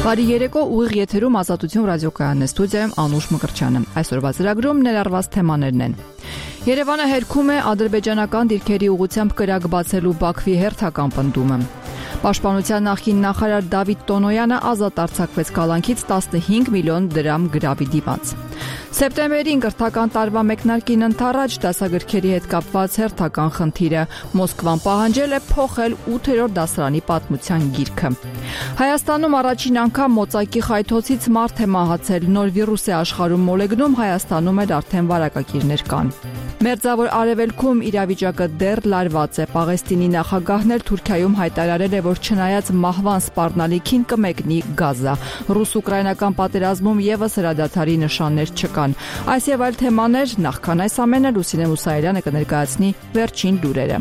Բարի երեկո, ուղիղ եթերում Ազատություն ռադիոկայանն է, ստուդիայում Անուշ Մկրտչյանը։ Այսօրվա ծրագրում ներառված թեմաներն են. Երևանը հերքում է ադրբեջանական դիրքերի ուղղությամբ կրակ բացելու Բաքվի հերթական պնդումը։ Պաշտպանության նախկին նախարար Դավիթ Տոնոյանը ազատ արձակվեց կալանքից 15 միլիոն դրամ գրավի դիմաց։ Սեպտեմբերին կրթական տարվա մեկնարկին ընթառաջ դասագրքերի հետ կապված հերթական խնդիրը Մոսկվան պահանջել է փոխել 8-րդ դասարանի պատմության գիրքը։ Հայաստանում առաջին անգամ մոծակի խայթոցից մարդ է մահացել, նոր վիրուս է աշխարհում մոլեգնում, Հայաստանում էլ արդեն վարակակիրներ կան։ Մերձավոր Արևելքում իրավիճակը դեռ լարված է։ Պաղեստինի նախագահն էլ Թուրքիայում հայտարարել է, որ չնայած մահվան սպառնալիքին կմեկնի Գազա։ Ռուս-ուկրաինական պատերազմում եւս հրադադարի նշաններ չկան։ Այս եւ այլ թեմաներ, նախքան այս ամենը Լուսինե Մուսայելյանը կներկայացնի վերջին լուրերը։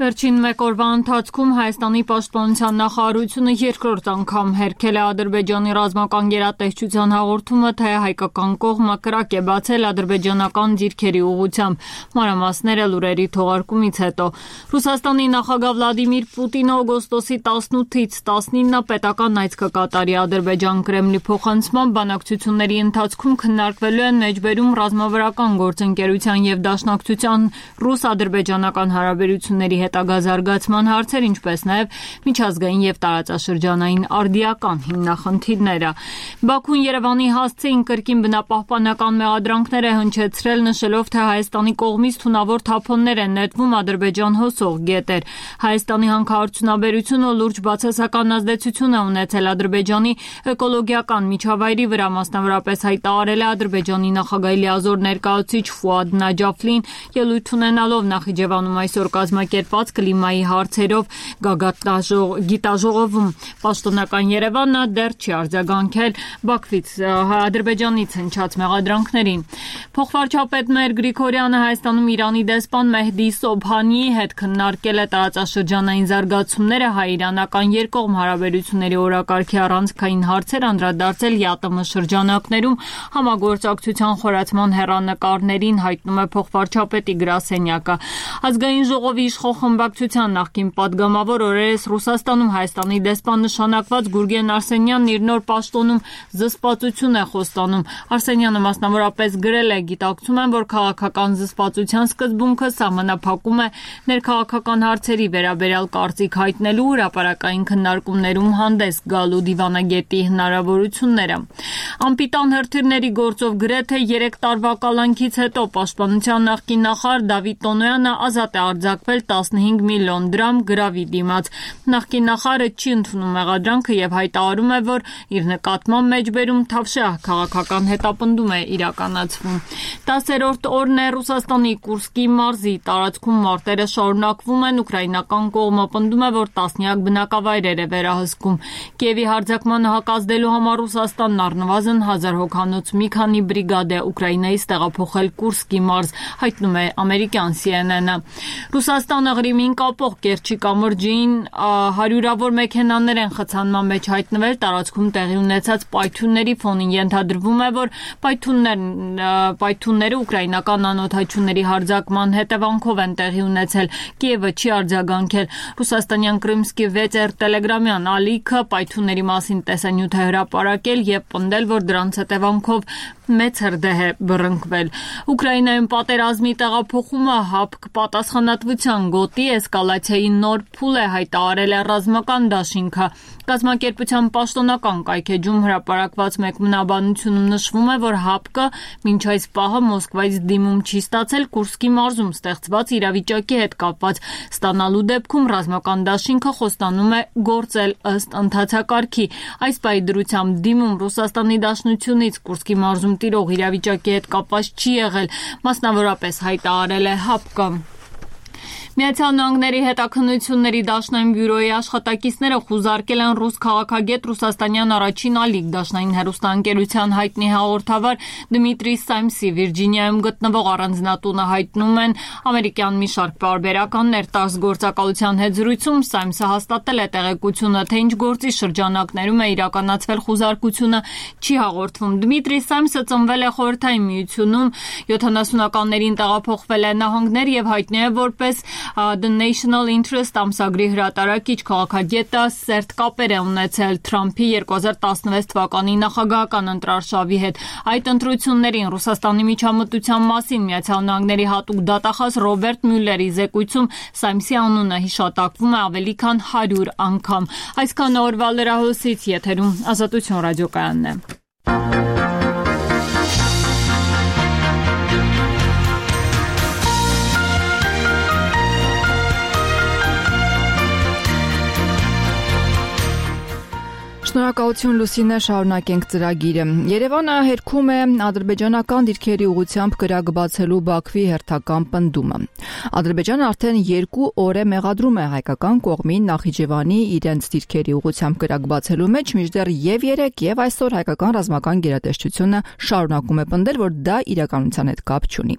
Վերջին մեկ օրվա ընթացքում Հայաստանի պաշտպանության նախարարությունը երկրորդ անգամ հերքել է Ադրբեջանի ռազմական գերատեսչության հաղորդումը, թե հայկական կողմը կրակ է բացել ադրբեջանական դիրքերի ուղղությամբ։ Մանրամասները լուրերի թողարկումից հետո Ռուսաստանի նախագահ Վլադիմիր Պուտինը օգոստոսի 18-ից 19-ը պետական այց կկատարի Ադրբեջան Կրեմլի փոխանցմամբ բանակցությունների ընթացքում քննարկվելու են մեջբերում ռազմավարական գործընկերության եւ դաշնակցության ռուս-ադրբեջանական հարաբերությունների հետագա զարգացման հարցեր, ինչպես նաև միջազգային եւ տարածաշրջանային արդիական հիմնախնդիրները։ Բաքուն Երևանի հասցեին կրկին բնապահպանական մեղադրանքներ է հնչեցրել, նշելով, թե Հայաստանի կողմից թունավոր թափոններ են նետվում Ադրբեջան հոսող գետեր։ Հայաստանի հանքարդյունաբերությունը լուրջ բացասական ազդեցություն է ունեցել Ադրբեջանի էկոլոգիական միջավայրի վրա, մասնավորապես հայտարարել է Ադրբեջանի նախագահի լիազոր ներկայացուցիչ Ֆուադ Նաջաֆլին, ելույթ ունենալով Նախիջևանում այսօր կազմակերպված կլիմայի հարցերով գիտաժողովում։ Պաշտոնական Երևանը դեռ չի արձագանքել Բաքվից Ադրբեջանից հնչած մեղադրանքներին։ Փոխվարչապետ Մեր Գրիգորյանը Հայաստանում Իրանի դեսպան Մեհդի Սոբհանիի հետ քննարկել է տարածաշրջանային զարգացումները, հայ-իրանական երկկողմ հարաբերությունների օրակարգի առանցքային հարցեր, անդրադարձել ԵԱՏՄ շրջանակներում համագործակցության խորացման հեռանկարներին, հայտնում է փոխվարչապետի գրասենյակը։ Ազգային ժողովի իշխող խմբակցության նախկին падգամավոր օրերս Ռուսաստանում Հայաստանի դեսպան նշանակված Գուրգեն Արսենյանն իր նոր պաշտոնում զսպվածություն է խոստանում։ Արսենյանը մասնավորապես գրել է. «Գիտակցում եմ, որ քաղաքական զսպվածության սկզբունքը սահմանափակում է ներքաղաքական հարցերի վերաբերյալ կարծիք հայտնելու, հրապարակային քննարկումներում հանդես գալու դիվանագետի հնարավորությունները»։ Անպիտան հրթիռների գործով գրեթե 3 տարվա կալանքից հետո պաշտպանության նախկին նախարար Դավիթ Տոնոյանը ազատ է արձակվել 15 միլիոն դրամ գրավի դիմաց։ Նախկին նախարարը չի ընդունում մեղադրանքը եւ հայտարարում է, որ իր նկատմամբ մեջբերում թավշյա քաղաքական հետապնդում է իրականացվում։ 10-րդ օրն է Ռուսաստանի Կուրսկի մարզի տարածքում մարտերը շարունակվում են, ուկրաինական կողմը պնդում է, որ տասնյակ բնակավայրեր է վերահսկում։ Կիևի հարձակմանը հակազդելու համար Ռուսաստանն առնվազն 1000 հոգանոց մի քանի բրիգադ է Ուկրաինայից տեղափոխել Կուրսկի մարզ, հայտնում է ամերիկյան CNN-ը։ Ռուսաստանը Ղրիմին կապող Կերչի կամրջին հարյուրավոր մեքենաներ են խցանման մեջ հայտնվել, տարածքում տեղի ունեցած պայթյունների ֆոնին ենթադրվում է, որ պայթյունները ուկրաինական անօդաչուների հարձակման հետևանքով են տեղի ունեցել։ Կիևը չի արձագանքել։ Ռուսաստանյան Կրիմսկի 6R տելեգրամյան ալիքը պայթյունների մասին տեսանյութ է հրապարակել եւ պնդել, որ դրանց հետևանքով մեծ հրդեհ է բռնկվել։ Ուկրաինայում պատերազմի տեղափոխումը ՀԱՊԿ պատասխանատվության գոտի էսկալացիայի նոր փուլ է, հայտարարել է ռազմական դաշինքը։ Կազմակերպության պաշտոնական կայքեջում հրապարակված մեկնաբանությունում նշվում է, որ ՀԱՊԿ մինչ այս պահը Մոսկվայից դիմում չի ստացել Կուրսկի մարզում ստեղծված իրավիճակի հետ կապված։ Ստանալու դեպքում ռազմական դաշինքը խոստանում է գործել ըստ ընթացակարգի։ Այս պահի դրությամբ դիմում Ռուսաստանի Դաշնությունից Կուրսկի մարզում տիրող իրավիճակի հետ կապված չի եղել, մասնավորապես հայտարարել է ՀԱՊԿ-ը։ Միացյալ Նահանգների հետաքննությունների դաշնային բյուրոյի աշխատակիցները խուզարկել են ռուս քաղաքագետ Ռուսաստանյան առաջին ալիք դաշնային հեռուստաընկերության հայտնի հաղորդավար Դմիտրի Սայմսի Վիրջինիայում գտնվող առանձնատունը, հայտնում են ամերիկյան մի շարք պարբերականներ։ ՏԱՍՍ գործակալության հետ զրույցում Սայմսը հաստատել է տեղեկությունը, թե ինչ գործի շրջանակներում է իրականացվել խուզարկությունը, չի հաղորդվում։ Դմիտրի Սայմսը ծնվել է Խորհրդային Միությունում, 70-ականներին տեղափոխվել է նահանգներ եւ հայտնի է որպես The National Interest ամսագրի հրատարակիչ քաղաքագետը սերտ կապեր է ունեցել Թրամփի 2016 թվականի նախագահական ընտրարշավի հետ։ Այդ ընտրություններին Ռուսաստանի միջամտության մասին Միացյալ Նահանգների հատուկ դատախազ Ռոբերտ Մյուլլերի զեկույցում Սամսի անունը հիշատակվում է ավելի քան 100 անգամ։ Այսքան օրվա լրահոսից եթերում Ազատություն ռադիոկայանն է։ Շնորհակալություն Լուսինե, շարունակենք ծրագիրը։ Երևանը հերքում է ադրբեջանական դիրքերի ուղղությամբ կրակ բացելու Բաքվի հերթական պնդումը։ Ադրբեջանը արդեն 2 օր է մեղադրում է հայկական կողմին Նախիջևանի իրենց դիրքերի ուղղությամբ կրակ բացելու մեջ, մինչդեռ եւ 3 եւ այսօր հայկական ռազմական գերատեսչությունը շարունակում է պնդել, որ դա իրականության հետ կապ չունի։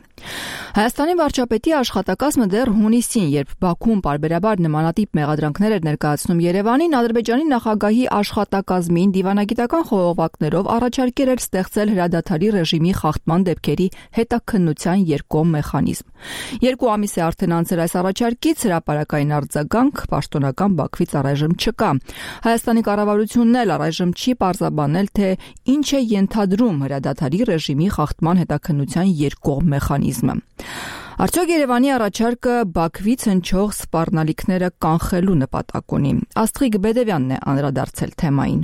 Հայաստանի վարչապետի աշխատակազմը դեռ հունիսին, երբ Բաքուն պարբերաբար նմանատիպ մեղադրանքներ էր ներկայացնում Երևանին, Ադրբեջանի նախագահի աշխատակազմին դիվանագիտական խողովակներով առաջարկել էր ստեղծել հրադադարի ռեժիմի խախտման դեպքերի հետաքննության երկկողմ մեխանիզմ։ 2 ամիս է արդեն անցել այս առաջարկից, հրապարակային արձագանք պաշտոնական Բաքվից առայժմ չկա։ Հայաստանի կառավարությունն էլ առայժմ չի պարզաբանել, թե ինչ է ենթադրում հրադադարի ռեժիմի խախտման հետաքննության երկկողմ մեխանիզմը։ Արդյոք Երևանի առաջարկը Բաքվից հնչող սպառնալիքները կանխելու նպատակ ունի։ Աստղիկ Բեդևյանն է անդրադարձել թեմային։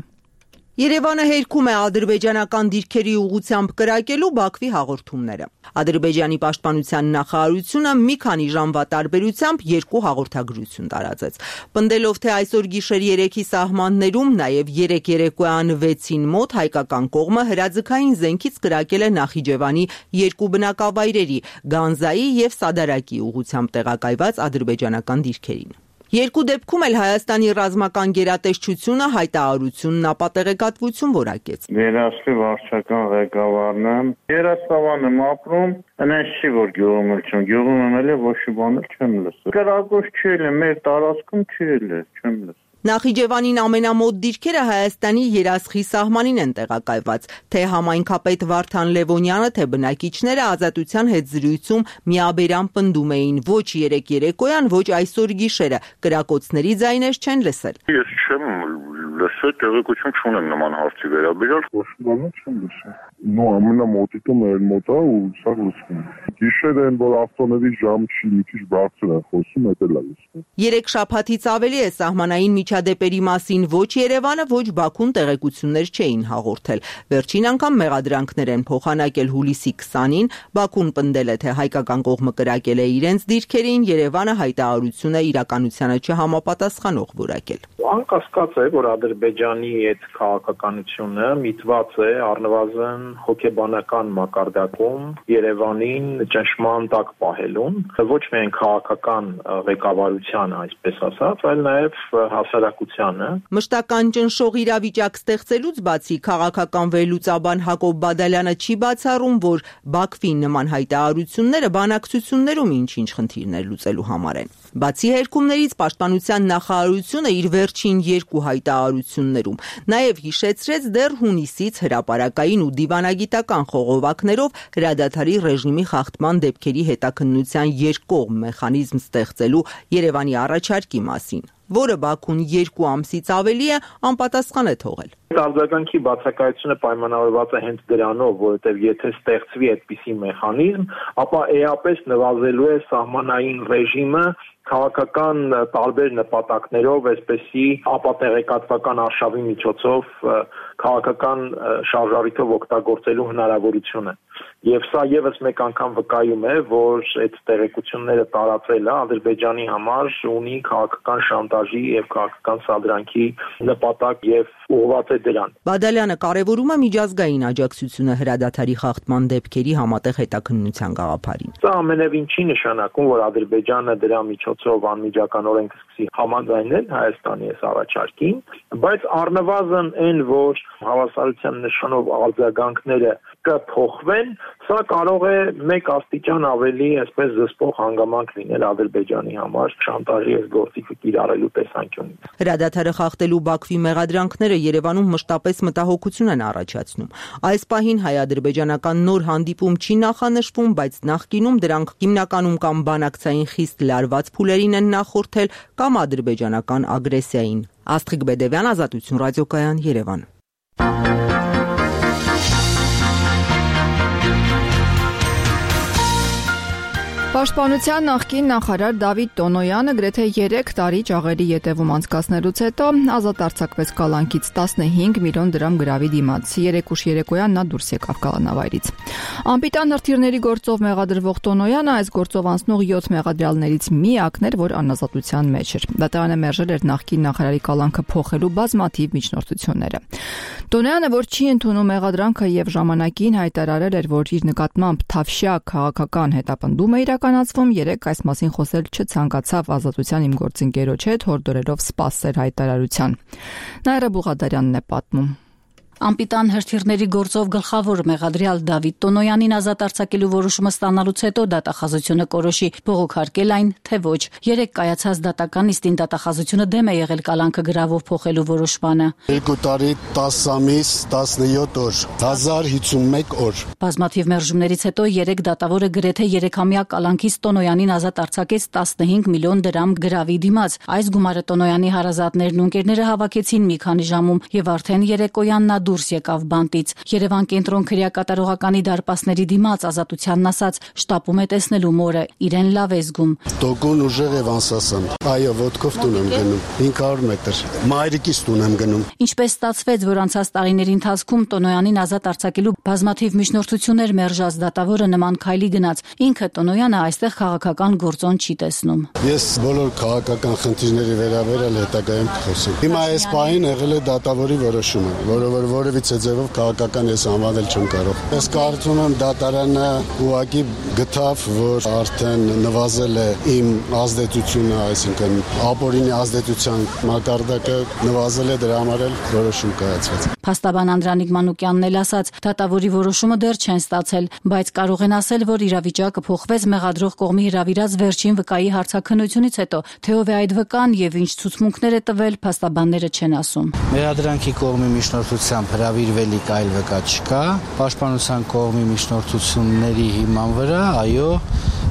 Երևանը հերքում է ադրբեջանական դիրքերի ուղղությամբ կրակելու Բաքվի հաղորդումները։ Ադրբեջանի պաշտպանության նախարարությունը մի քանի ժամվա տարբերությամբ 2 հաղորդագրություն տարածեց։ Պնդելով, թե այսօր գիշեր 3-ի սահմաններում, նաև 3 երեկոյան 6-ին մոտ հայկական կողմը հրաձգային զենքից կրակել է Նախիջևանի 2 բնակավայրերի՝ Գանձայի եւ Սադարակի ուղղությամբ տեղակայված ադրբեջանական դիրքերին։ 2 դեպքում էլ Հայաստանի ռազմական գերատեսչությունը հայտարարությունն ապատեղեկատվություն որակեց։ Երաշտի վարչական ղեկավարն եմ, Երասավան եմ ապրում, այնպես չի, որ գյուղում էլ չեմ, գյուղում եմ էլ ոչ մի բան չեմ լսել։ Կրակոց չի էլ, մեր տարածքում չի էլ, չեմ լսել։ Նախիջևանին ամենամոտ դիրքերը Հայաստանի Երասխի սահմանին են տեղակայված, թե համայնքապետ Վարդան Լևոնյանը, թե բնակիչները Ազատության հետ զրույցում միաբերան պնդում էին ոչ 3 երեկոյան, ոչ այսօր գիշերը, կրակոցների ձայներ չեն լսել։ Ես չեմ լսել, տեղեկություն չունեմ նման հարցի վերաբերյալ, ոչ բան չեմ լսել։ Նո ամենամոտիկը մեր մոտ է ու սա լսվում։ Գիշերը են, որ ավտոների ժամ չի, մի քիչ բարձր են խոսում, դա էլ է լսվում։ 3 շաբաթից ավելի է սահմանային միջադեպերի մասին ոչ Երևանը, ոչ Բաքուն տեղեկություններ չէին հաղորդել։ Վերջին անգամ մեղադրանքներ են փոխանակել հուլիսի 20-ին, Բաքուն պնդել է, թե հայկական կողմը կրակել է իրենց դիրքերին, Երևանը հայտարարությունը իրականությանը չհամապատասխանող որակել։ Անկասկած է, որ Ադրբեջանի այդ քաղաքականությունը միտված է առնվազն հոգեբանական մակարդակում Երևանին ճնշման տակ պահելուն, ոչ միայն քաղաքական ղեկավարությանը, այսպես ասած, այլ նաև հասարակությանը։ Մշտական ճնշող իրավիճակ ստեղծելուց բացի քաղաքական վերլուծաբան Հակոբ Բադալյանը չի բացառում, որ Բաքվի նման հայտարարությունները բանակցություններում ինչ-ինչ խնդիրներ լուծելու համար են։ Բացի հերքումներից պաշտպանության նախարարությունը իր վերջին 2 հայտարարություններում նաև հիշեցրեց դեռ հունիսից հրապարակային ու դիվանագիտական խողովակներով հրադադարի ռեժիմի խախտման դեպքերի հետաքննության երկկողմ մեխանիզմ ստեղծելու Երևանի առաջարկի մասին, որը Բաքուն 2 ամսից ավելի է անպատասխան է թողել։ Արձագանքի բացակայությունը պայմանավորված է հենց դրանով, որովհետև եթե ստեղծվի այդպիսի մեխանիզմ, ապա էապես նվազելու է սահմանային ռեժիմը քաղաքական տարբեր նպատակներով, այսպեսի ապատեղեկատվական արշավի միջոցով քաղաքական շարժառիթով օգտագործելու հնարավորությունը։ Եվ սա եւս մեկ անգամ վկայում է, որ այդ տեղեկությունները տարածելը Ադրբեջանի համար ունի քաղաքական շանտաժի եւ քաղաքական սադրանքի նպատակ եւ ուղղված է դրան։ Բադալյանը կարևորում է միջազգային աջակցությունը հրադադարի խախտման դեպքերի համատեղ հետաքննության գաղափարին։ Սա ամենևին չի նշանակում, որ Ադրբեջանը դրա միջոցով անմիջականորեն կսկսի համաձայնել Հայաստանի այս առաջարկին, բայց առնվազն այն, որ հավասարության նշանով արձագանքները կփոխվեն, սա կարող է 1 աստիճան ավելի այսպես զսպող հանգամանք լինել Ադրբեջանի համար շանտաժի այս գործիքը կիրառելու տեսանկյունից։ Հրադադարը խախտելու Բաքվի մեղադրանքները Երևանում մշտապես մտահոգություն են առաջացնում։ Այս պահին հայ-ադրբեջանական նոր հանդիպում չի նախանշվում, բայց նախկինում դրանք հիմնականում կամ բանակցային խիստ լարված փուլերին են նախորդել կամ ադրբեջանական ագրեսիային։ Աստղիկ Բեդևյան, Ազատություն ռադիոկայան, Երևան։ Պաշտպանության նախկին նախարար Դավիթ Տոնոյանը գրեթե 3 տարի ճաղերի ետևում անցկացնելուց հետո ազատ արձակվեց կալանքից 15 միլիոն դրամ գրավի դիմաց։ 3 ուշ երեկոյան նա դուրս եկավ կալանավայրից։ Անպիտան հրթիռների գործով մեղադրվող Տոնոյանը այս գործով անցնող 7 մեղադրյալներից միակն էր, որ անազատության մեջ էր։ Դատարանը մերժել էր նախկին նախարարի կալանքը փոխելու բազմաթիվ միջնորդությունները։ Տոնոյանը, որ չի ընդունում մեղադրանքը եւ ժամանակին հայտարարել էր, որ իր նկատմամբ թավշյա քաղաքական հետապնդում է իրականացվում, երեք այս մասին խոսել չցանկացավ ազատության իմ գործընկերոջ հետ, հորդորելով սպասել հայտարարության։ Նաիրա Բուղադարյանն է պատմում։ Անպիտան հրթիռների գործով գլխավոր մեղադրյալ Դավիթ Տոնոյանին ազատ արձակելու որոշումը ստանալուց հետո դատախազությունը կորոշի բողոքարկել այն, թե ոչ։ 3 կայացած դատական նիստին դատախազությունը դեմ է եղել կալանքը գրավով փոխելու որոշմանը։ 2 տարի 10 ամիս 17 օր 1051 օր։ Բազմաթիվ մերժումներից հետո 3 դատավորը գրեթե 3-ամյա կալանքից Տոնոյանին ազատ արձակեց 15 միլիոն դրամ գրավի դիմաց։ Այս գումարը Տոնոյանի հարազատներն ու ընկերները հավաքեցին մի քանի ժամում եւ արդեն երեկոյան նա դուրս եկավ բանտից։ Երևան կենտրոն քրեակատարողականի դարպասների դիմաց ազատությանն ասաց շտապում է տեսնելու մորը, իրեն լավ է զգում։ Տոկուն ուժեղ եւ անսասան։ Այո, ոտքով տուն եմ գնում 500 մետր։ Մայրիկից տուն եմ գնում։ Ինչպես ստացվեց, որ անցած տարիների ընթացքում Տոնոյանին ազատ արձակելու բազմաթիվ միջնորդություններ մերժած դատավորը նման քայլի գնաց։ Ինքը Տոնոյանը այստեղ քաղաքական գործոն չի տեսնում։ Ես բոլոր քաղաքական խնդիրների վերաբերյալ հետագայում կխոսեմ։ Հիմա այս պահին եղել է դատավորի որոշումը, որը որևիցե ձևով քաղաքական ես անվանել չեմ կարող։ Ես կարծում եմ դատարանը ուղղակի գտավ, որ արդեն նվազել է իմ ազդեցությունը, այսինքն ապօրինի ազդեցության մակարդակը նվազել է, դրա համար էլ որոշում կայացվեց։ Փաստաբան Անդրանիկ Մանուկյանն էլ ասաց, դատավորի որոշումը դեռ չեն ստացել, բայց կարող են ասել, որ իրավիճակը փոխվեց մեղադրող կողմի հրավիրած վերջին վկայի հարցաքննությունից հետո, թե ով է այդ վկան եւ ինչ ցուցմունքներ է տվել, փաստաբանները չեն ասում։ Մեղադրանքի կողմի միջնորդությամբ հրավիրվելիք այլ վկա չկա, պաշտպանության կողմի միջնորդությունների հիման վրա, այո,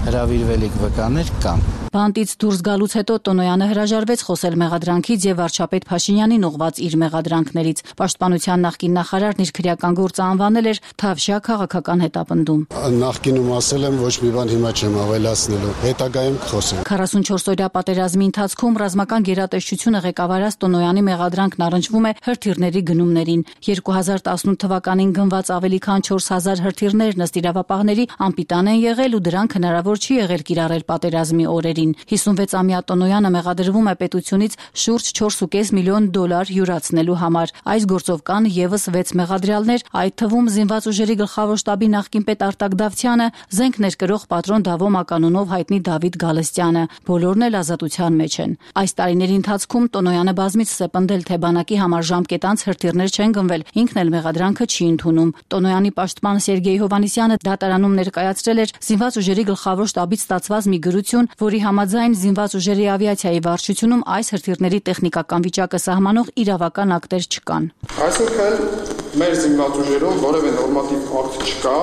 հրավիրվելիք վկաներ կան։ Բանտից դուրս գալուց հետո Տոնոյանը հրաժարվեց խոսել մեղադրանքից եւ վարչապետ Փաշինյանին ուղղված իր մեղադրանքներից։ Պաշտպանության նախկին նախարարն իր քրեական գործը անվանել էր թավշյա քաղաքական հետապնդում։ Նախկինում ասել եմ ոչ մի բան հիմա չեմ ավելացնելու, հետագայում կխոսեմ։ 44-օրյա պատերազմի ընթացքում ռազմական գերատեսչությունը ղեկավարած Տոնոյանի մեղադրանքն առնչվում է հրթիռների գնումներին։ 2018 թվականին գնված ավելի քան 4000 հրթիռներ ըստ իրավապահների անպիտան են եղել ու դրանք հնարավոր չի եղել կիրառել պատերազմի օրերին։ 56-ամյա Տոնոյանը մեղադրվում է պետությունից շուրջ 4.5 միլիոն դոլար յուրացնելու համար։ Այս գործով կան եւս 6 մեղադրյալներ, այդ թվում զինված ուժերի գլխավոր շտաբի նախկին պետ Արտակ Դավթյանը, զենք ներկրող պատրոն Դավո Մականունով հայտնի Դավիթ Գալստյանը։ Բոլորն էլ ազատության մեջ են։ Այս տարիների ընթացքում Տոնոյանը բազմիցս է պնդել, թե բանակի համար ժամկետանց հրթիռներ չեն գնվել, ինքն էլ մեղադրանքը չի ընդունում։ Տոնոյանի պաշտպան Սերգեյ Հովհաննիսյանը դատարանում ներկայացրել էր զինված ուժերի գլխավոր շտաբից ստացված մի գրություն, որի համաձայն զինված ուժերի ավիացիայի վարչությունում այս հրթիռների տեխնիկական վիճակը սահմանող իրավական ակտեր չկան։ Այսինքն մեր զինված ուժերում որևէ նորմատիվ ակտ չկա,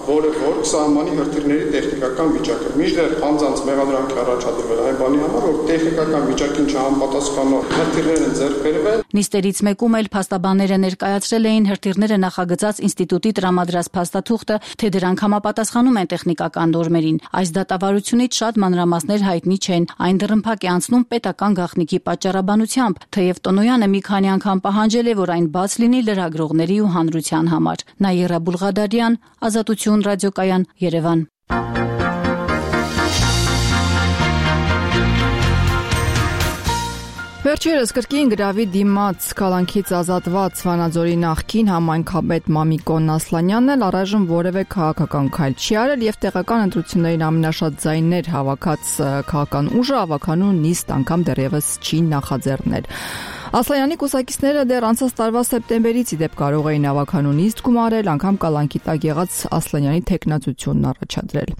որը որ սահմանի հրթիռների տեխնիկական վիճակը։ Մինչդեռ անձանց մեղադրանք է առաջադրվել այն բանի համար, որ տեխնիկական վիճակին չհամապատասխանող հրթիռներ են ձեռք բերվել։ Նիստերից մեկում էլ փաստաբանները ներկայացրել էին հրթիռները նախագծած ինստիտուտի տրամադրած փաստաթուղթը, թե դրանք համապատասխանում են տեխնիկական նորմերին։ Այս դատավարությունից շատ մանրամասներ հայտնի չեն։ Այն դռնփակ է անցնում պետական գաղտնիքի պատճառաբանությամբ, թեև Տոնոյանը մի քանի անգամ պահանջել է, որ այն բաց լինի լրագրողների ու հանրության համար։ Նաիրա Բուղադարյան, Ազատություն ռադիոկայան, Երևան։ Վերջերս կրկին գրավի դիմաց կալանքից ազատված Վանաձորի նախկին համայնքապետ Մամիկոն Ասլանյանն էլ առայժմ որևէ քաղաքական քայլ չի արել եւ տեղական ընտրություններին ամենաշատ ձայներ հավաքած քաղաքական ուժը ավականու նիստ անգամ դեռևս չի նախաձեռնել։ Ասլանյանի կուսակիցները դեռ անցած տարվա սեպտեմբերից ի դեպ կարող էին ավականու նիստ գումարել, անգամ կալանքի տակ եղած Ասլանյանի թեկնածությունն առաջադրել։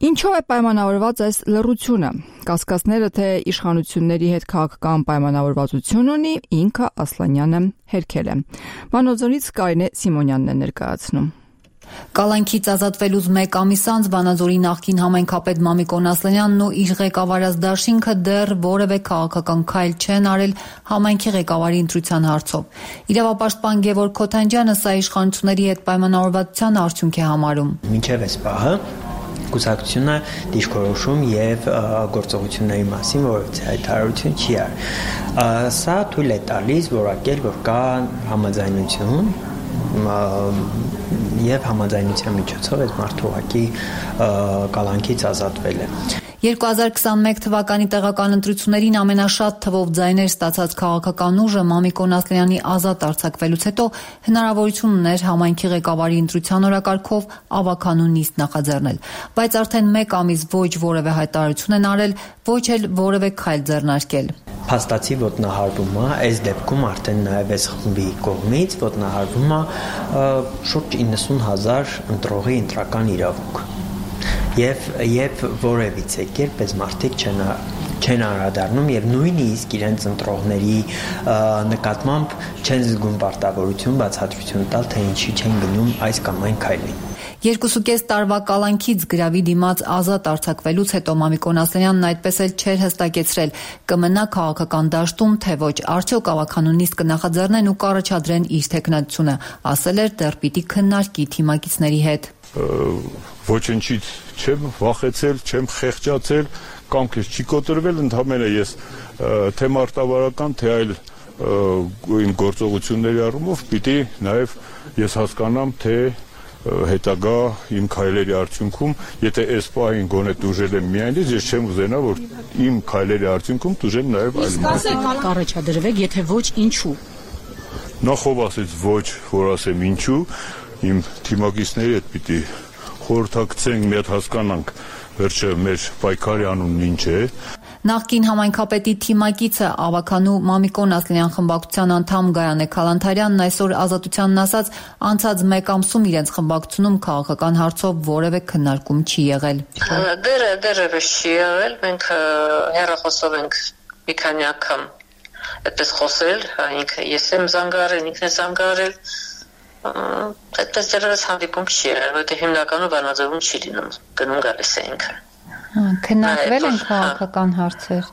Ինչով է պայմանավորված այս լռությունը։ Կասկածները, թե իշխանությունների հետ քաղաքական պայմանավորվածություն ունի, ինքը Ասլանյանը հերքել է։ Վանաձորից Կարինե Սիմոնյանն է ներկայացնում։ Կալանքից ազատվելուց մեկ ամիս անց Վանաձորի նախկին համայնքապետ Մամիկոն Ասլանյանն ու իր ղեկավարած դաշինքը դեռ որևէ քաղաքական քայլ չեն արել համայնքի ղեկավարի ընտրության հարցով։ Իրավապաշտպան Գևորգ Քոթանջյանը սա իշխանությունների հետ պայմանավորվածության արդյունք է համարում։ Մինչև այս պահը կուսակցությունը դիրքորոշում եւ գործողությունների մասին որևէ հայտարարություն չի արել։ Սա թույլ է տալիս որակել, որ կա համաձայնություն եւ համաձայնության միջոցով այդ մարդու ուղղակի կալանքից ազատվել է։ 2021 թվականի տեղական ընտրություններին ամենաշատ թվով ձայներ ստացած քաղաքական ուժը Մամիկոն Ասլանյանի ազատ արձակվելուց հետո հնարավորություն ուներ համայնքի ղեկավարի ընտրության օրակարգով ավականու նիստ նախաձեռնել, բայց արդեն մեկ ամիս ոչ որևէ հայտարարություն են արել, ոչ էլ որևէ քայլ ձեռնարկել։ Փաստացի ոտնահարվում է, այս դեպքում արդեն նաև այս խմբի կողմից ոտնահարվում է շուրջ 90,000 ընտրողի ընտրական իրավունք։ Եվ որևիցե կերպ այս մարդիկ չեն անդրադառնում եւ նույնիսկ իրենց ընտրողների նկատմամբ չեն զգում պարտավորություն բացատրություն տալ, թե ինչի չեն գնում այս կամ այն քայլին։ 2.5 տարվա կալանքից գրավի դիմաց ազատ արձակվելուց հետո Մամիկոն Ասլանյանն այդպես էլ չէր հստակեցրել կմնա քաղաքական դաշտում, թե ոչ, արդյոք ավականու նիստ կնախաձեռնեն ու կառաջադրեն իր թեկնածությունը, ասել էր դեռ պիտի քննարկի թիմակիցների հետ։ Ոչնչից չեմ վախեցել, չեմ խեղճացել, կամքես չի կոտրվել, ընդհանրապես ես թե մարտավարական, թե այլ իմ գործողությունների առումով պիտի նաև ես հասկանամ, թե հետագա իմ քայլերի արդյունքում, եթե այս պահին գոնե տուժել եմ միայնից, ես չեմ ուզենա, որ իմ քայլերի արդյունքում տուժեն նաև այլ մարդիկ։ Կառաջադրվեք, եթե ոչ, ինչու։ Նախով ասեց ոչ, որ ասեմ ինչու, իմ թիմակիցների հետ պիտի խորհրդակցենք, մի հատ հասկանանք, վերջը մեր պայքարի անունն ինչ է։ Նախկին համայնքապետի թիմակիցը ավականու Մամիկոն Ասլանյան խմբակցության անդամ Գայանե Քալանթարյանն այսօր Ազատությանն ասաց, անցած մեկ ամսում իրենց խմբակցությունում քաղաքական հարցով որևէ քննարկում չի եղել։ Դեռևս չի եղել, մենք հեռախոսով ենք մի քանի անգամ այդպես խոսել, ինքը ես եմ զանգարել, ինքն է զանգարել, այդպես դեռևս հանդիպում չի եղել, որտեղ հիմնականում Վանաձորում չի լինում, գնում գալիս է ինքը։ Քննարկվել են քաղաքական հարցեր։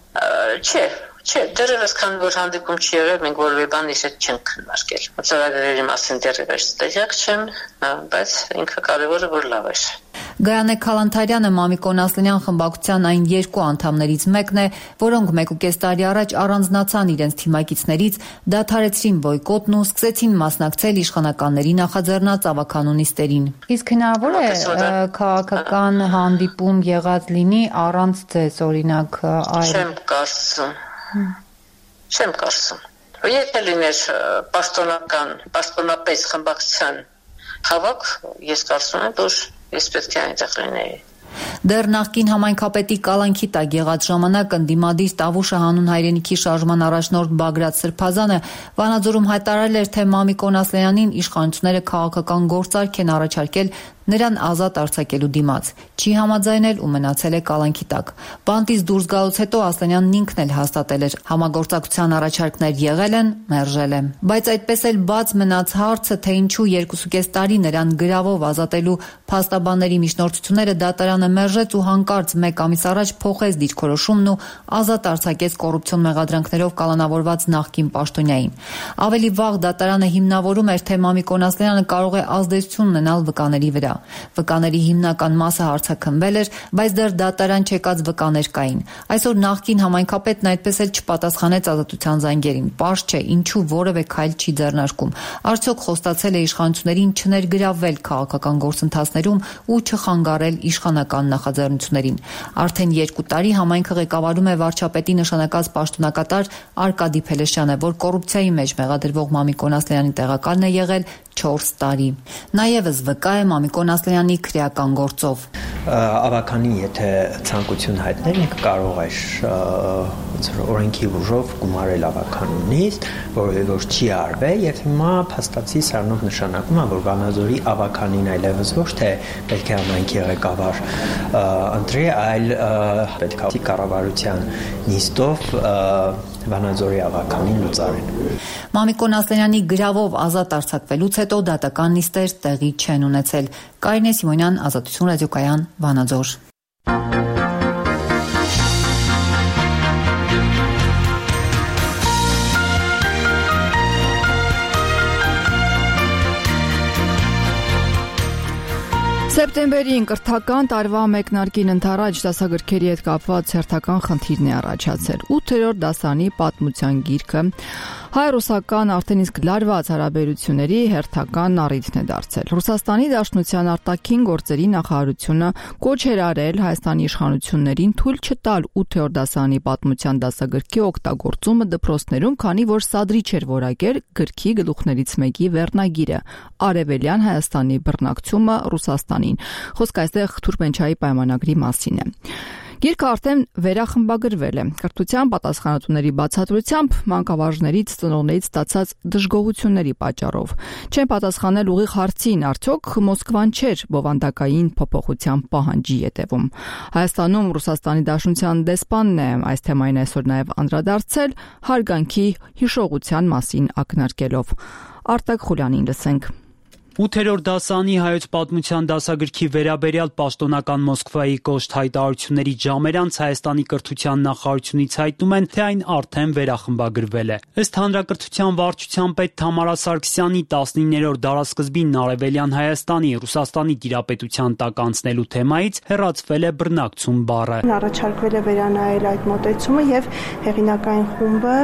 Չէ, դեռևս քանի որ հանդիպում չի եղել, մենք որևէ բան իր հետ չենք քննարկել։ Ծրագրերի մասին դեռևս տեղյակ չեմ, բայց ինքը կարևորը որ լավ է։ Գայանե Քալանթարյանը Մամիկոն Ասլանյան խմբակցության այն երկու անդամներից մեկն է, որոնք 1.5 տարի առաջ առանձնացան իրենց թիմակիցներից, դադարեցրին բոյկոտն ու սկսեցին մասնակցել իշխանականների նախաձեռնած ավականու նիստերին։ Իսկ հնարավոր է քաղաքական հանդիպում եղած լինի առանց ձեզ, օրինակ, այլ։ Չեմ կարծում։ Եթե լիներ պաշտոնապես խմբակցության հավաք, ես կարծում եմ, որ ես պետք է այնտեղ լինեի։ Դեռ նախկին համայնքապետի կալանքի տակ եղած ժամանակ ընդդիմադիր Տավուշը հանուն հայրենիքի շարժման առաջնորդ Բագրատ Սրբազանը Վանաձորում հայտարարել էր, թե Մամիկոն Ասլանյանին իշխանությունները քաղաքական գործարք են առաջարկել նրան ազատ արձակելու դիմաց։ Չի համաձայնել ու մնացել է կալանքի տակ։ Բանտից դուրս գալուց հետո Ասլանյանն ինքն էլ հաստատել էր, համագործակցության առաջարկներ եղել են, մերժել է։ Բայց այդպես էլ բաց մնաց հարցը, թե ինչու 2.5 տարի նրան գրավով ազատելու փաստաբանների միջնորդությունները դատարանը մերժեց ու հանկարծ մեկ ամիս առաջ փոխեց դիրքորոշումն ու ազատ արձակեց կոռուպցիոն մեղադրանքներով կալանավորված նախկին պաշտոնյային։ Ավելի վաղ դատարանը հիմնավորում էր, թե Մամիկոն Ասլանյանը կարող է ազդեցություն ունենալ վկաների վրա։ Վկաների հիմնական մասը հարցաքննվել էր, բայց դեռ դատարան չեկած վկաներ կային։ Այսօր նախկին համայնքապետն այդպես էլ չպատասխանեց Ազատության զանգերին։ Պարզ չէ, ինչու որևէ քայլ չի ձեռնարկում։ Արդյոք խոստացել է իշխանություններին չներգրավվել քաղաքական գործընթացներում ու չխանգարել իշխանական նախաձեռնություններին։ Արդեն 2 տարի համայնքը ղեկավարում է վարչապետի նշանակած պաշտոնակատար Արկադի Փելեշյանը, որ կոռուպցիայի մեջ մեղադրվող Մամիկոն Ասլանյանի տեղակալն է եղել 4 տարի։ Նաև վկա է Մամիկոն Ասլանյանի քրեական գործով։ Ավականին եթե ցանկություն հայտնել, ինքը կարող է ոնց որ օրենքի ուժով գումարել ավականունից, որ չի արվել եւ հիմա փաստացի սրանով նշանակում է, որ Վանաձորի ավականին այլևս ոչ թե պետք է համայնքի ղեկավար ընտրի, այլ պետք է կառավարության նիստով Վանաձորի ավականին լուծարեն։ Մամիկոն Ասլանյանի գրավով ազատ արձակվելուց հետո դատական նիստեր տեղի չեն ունեցել։ Կարինե Սիմոնյան, Ազատություն ռադիոկայան, Վանաձոր։ Սեպտեմբերին կրթական տարվա մեկնարկին ընթരാճ դասագրքերի հետ կապված հերթական խնդիրն է առաջացել։ 8-րդ դասանի պատմության գիրքը հայ-ռուսական արդեն իսկ լարված հարաբերությունների հերթական առիթն է դարձել։ Ռուսաստանի Դաշնության արտաքին գործերի նախարարությունը կոչ էր արել Հայաստանի իշխանություններին թույլ չտալ 8-րդ դասանի պատմության դասագրքի օգտագործումը դպրոցներում, քանի որ սադրիչ էր որակել գրքի գլուխներից մեկի վերնագիրը՝ Արևելյան Հայաստանի բռնակցումը Ռուսաստանին։ Խոսքը այստեղ Թուրքմենչայի պայմանագրի մասին է։ Գիրքը արդեն վերախմբագրվել է։ Կրթության պատասխանատուների բացատրությամբ մանկավարժներից, ծնողներից ստացած դժգոհությունների պատճառով չեն պատասխանել ուղիղ հարցին, արդյոք Մոսկվան չէր բովանդակային փոփոխության պահանջի ետևում։ Հայաստանում Ռուսաստանի Դաշնության դեսպանն է այս թեմային այսօր նաև անդրադարձել հարգանքի հիշողության մասին ակնարկելով։ Արտակ Խուլյանին լսենք։ 8-րդ դասանի հայոց պատմության դասագրքի վերաբերյալ պաշտոնական Մոսկվայի կոշտ հայտարարությունների ժամեր անց Հայաստանի կրթության նախարարությունից հայտնում են, թե այն արդեն վերախմբագրվել է։ Ըստ հանրակրթության վարչության պետ Թամարա Սարգսյանի 19-րդ դարասկզբին Արևելյան Հայաստանի Ռուսաստանի տիրապետության տակ անցնելու թեմայից հեռացվել է բռնակցում բառը։ Առաջարկվել է վերանայել այդ մոտեցումը եւ հեղինակային խումբը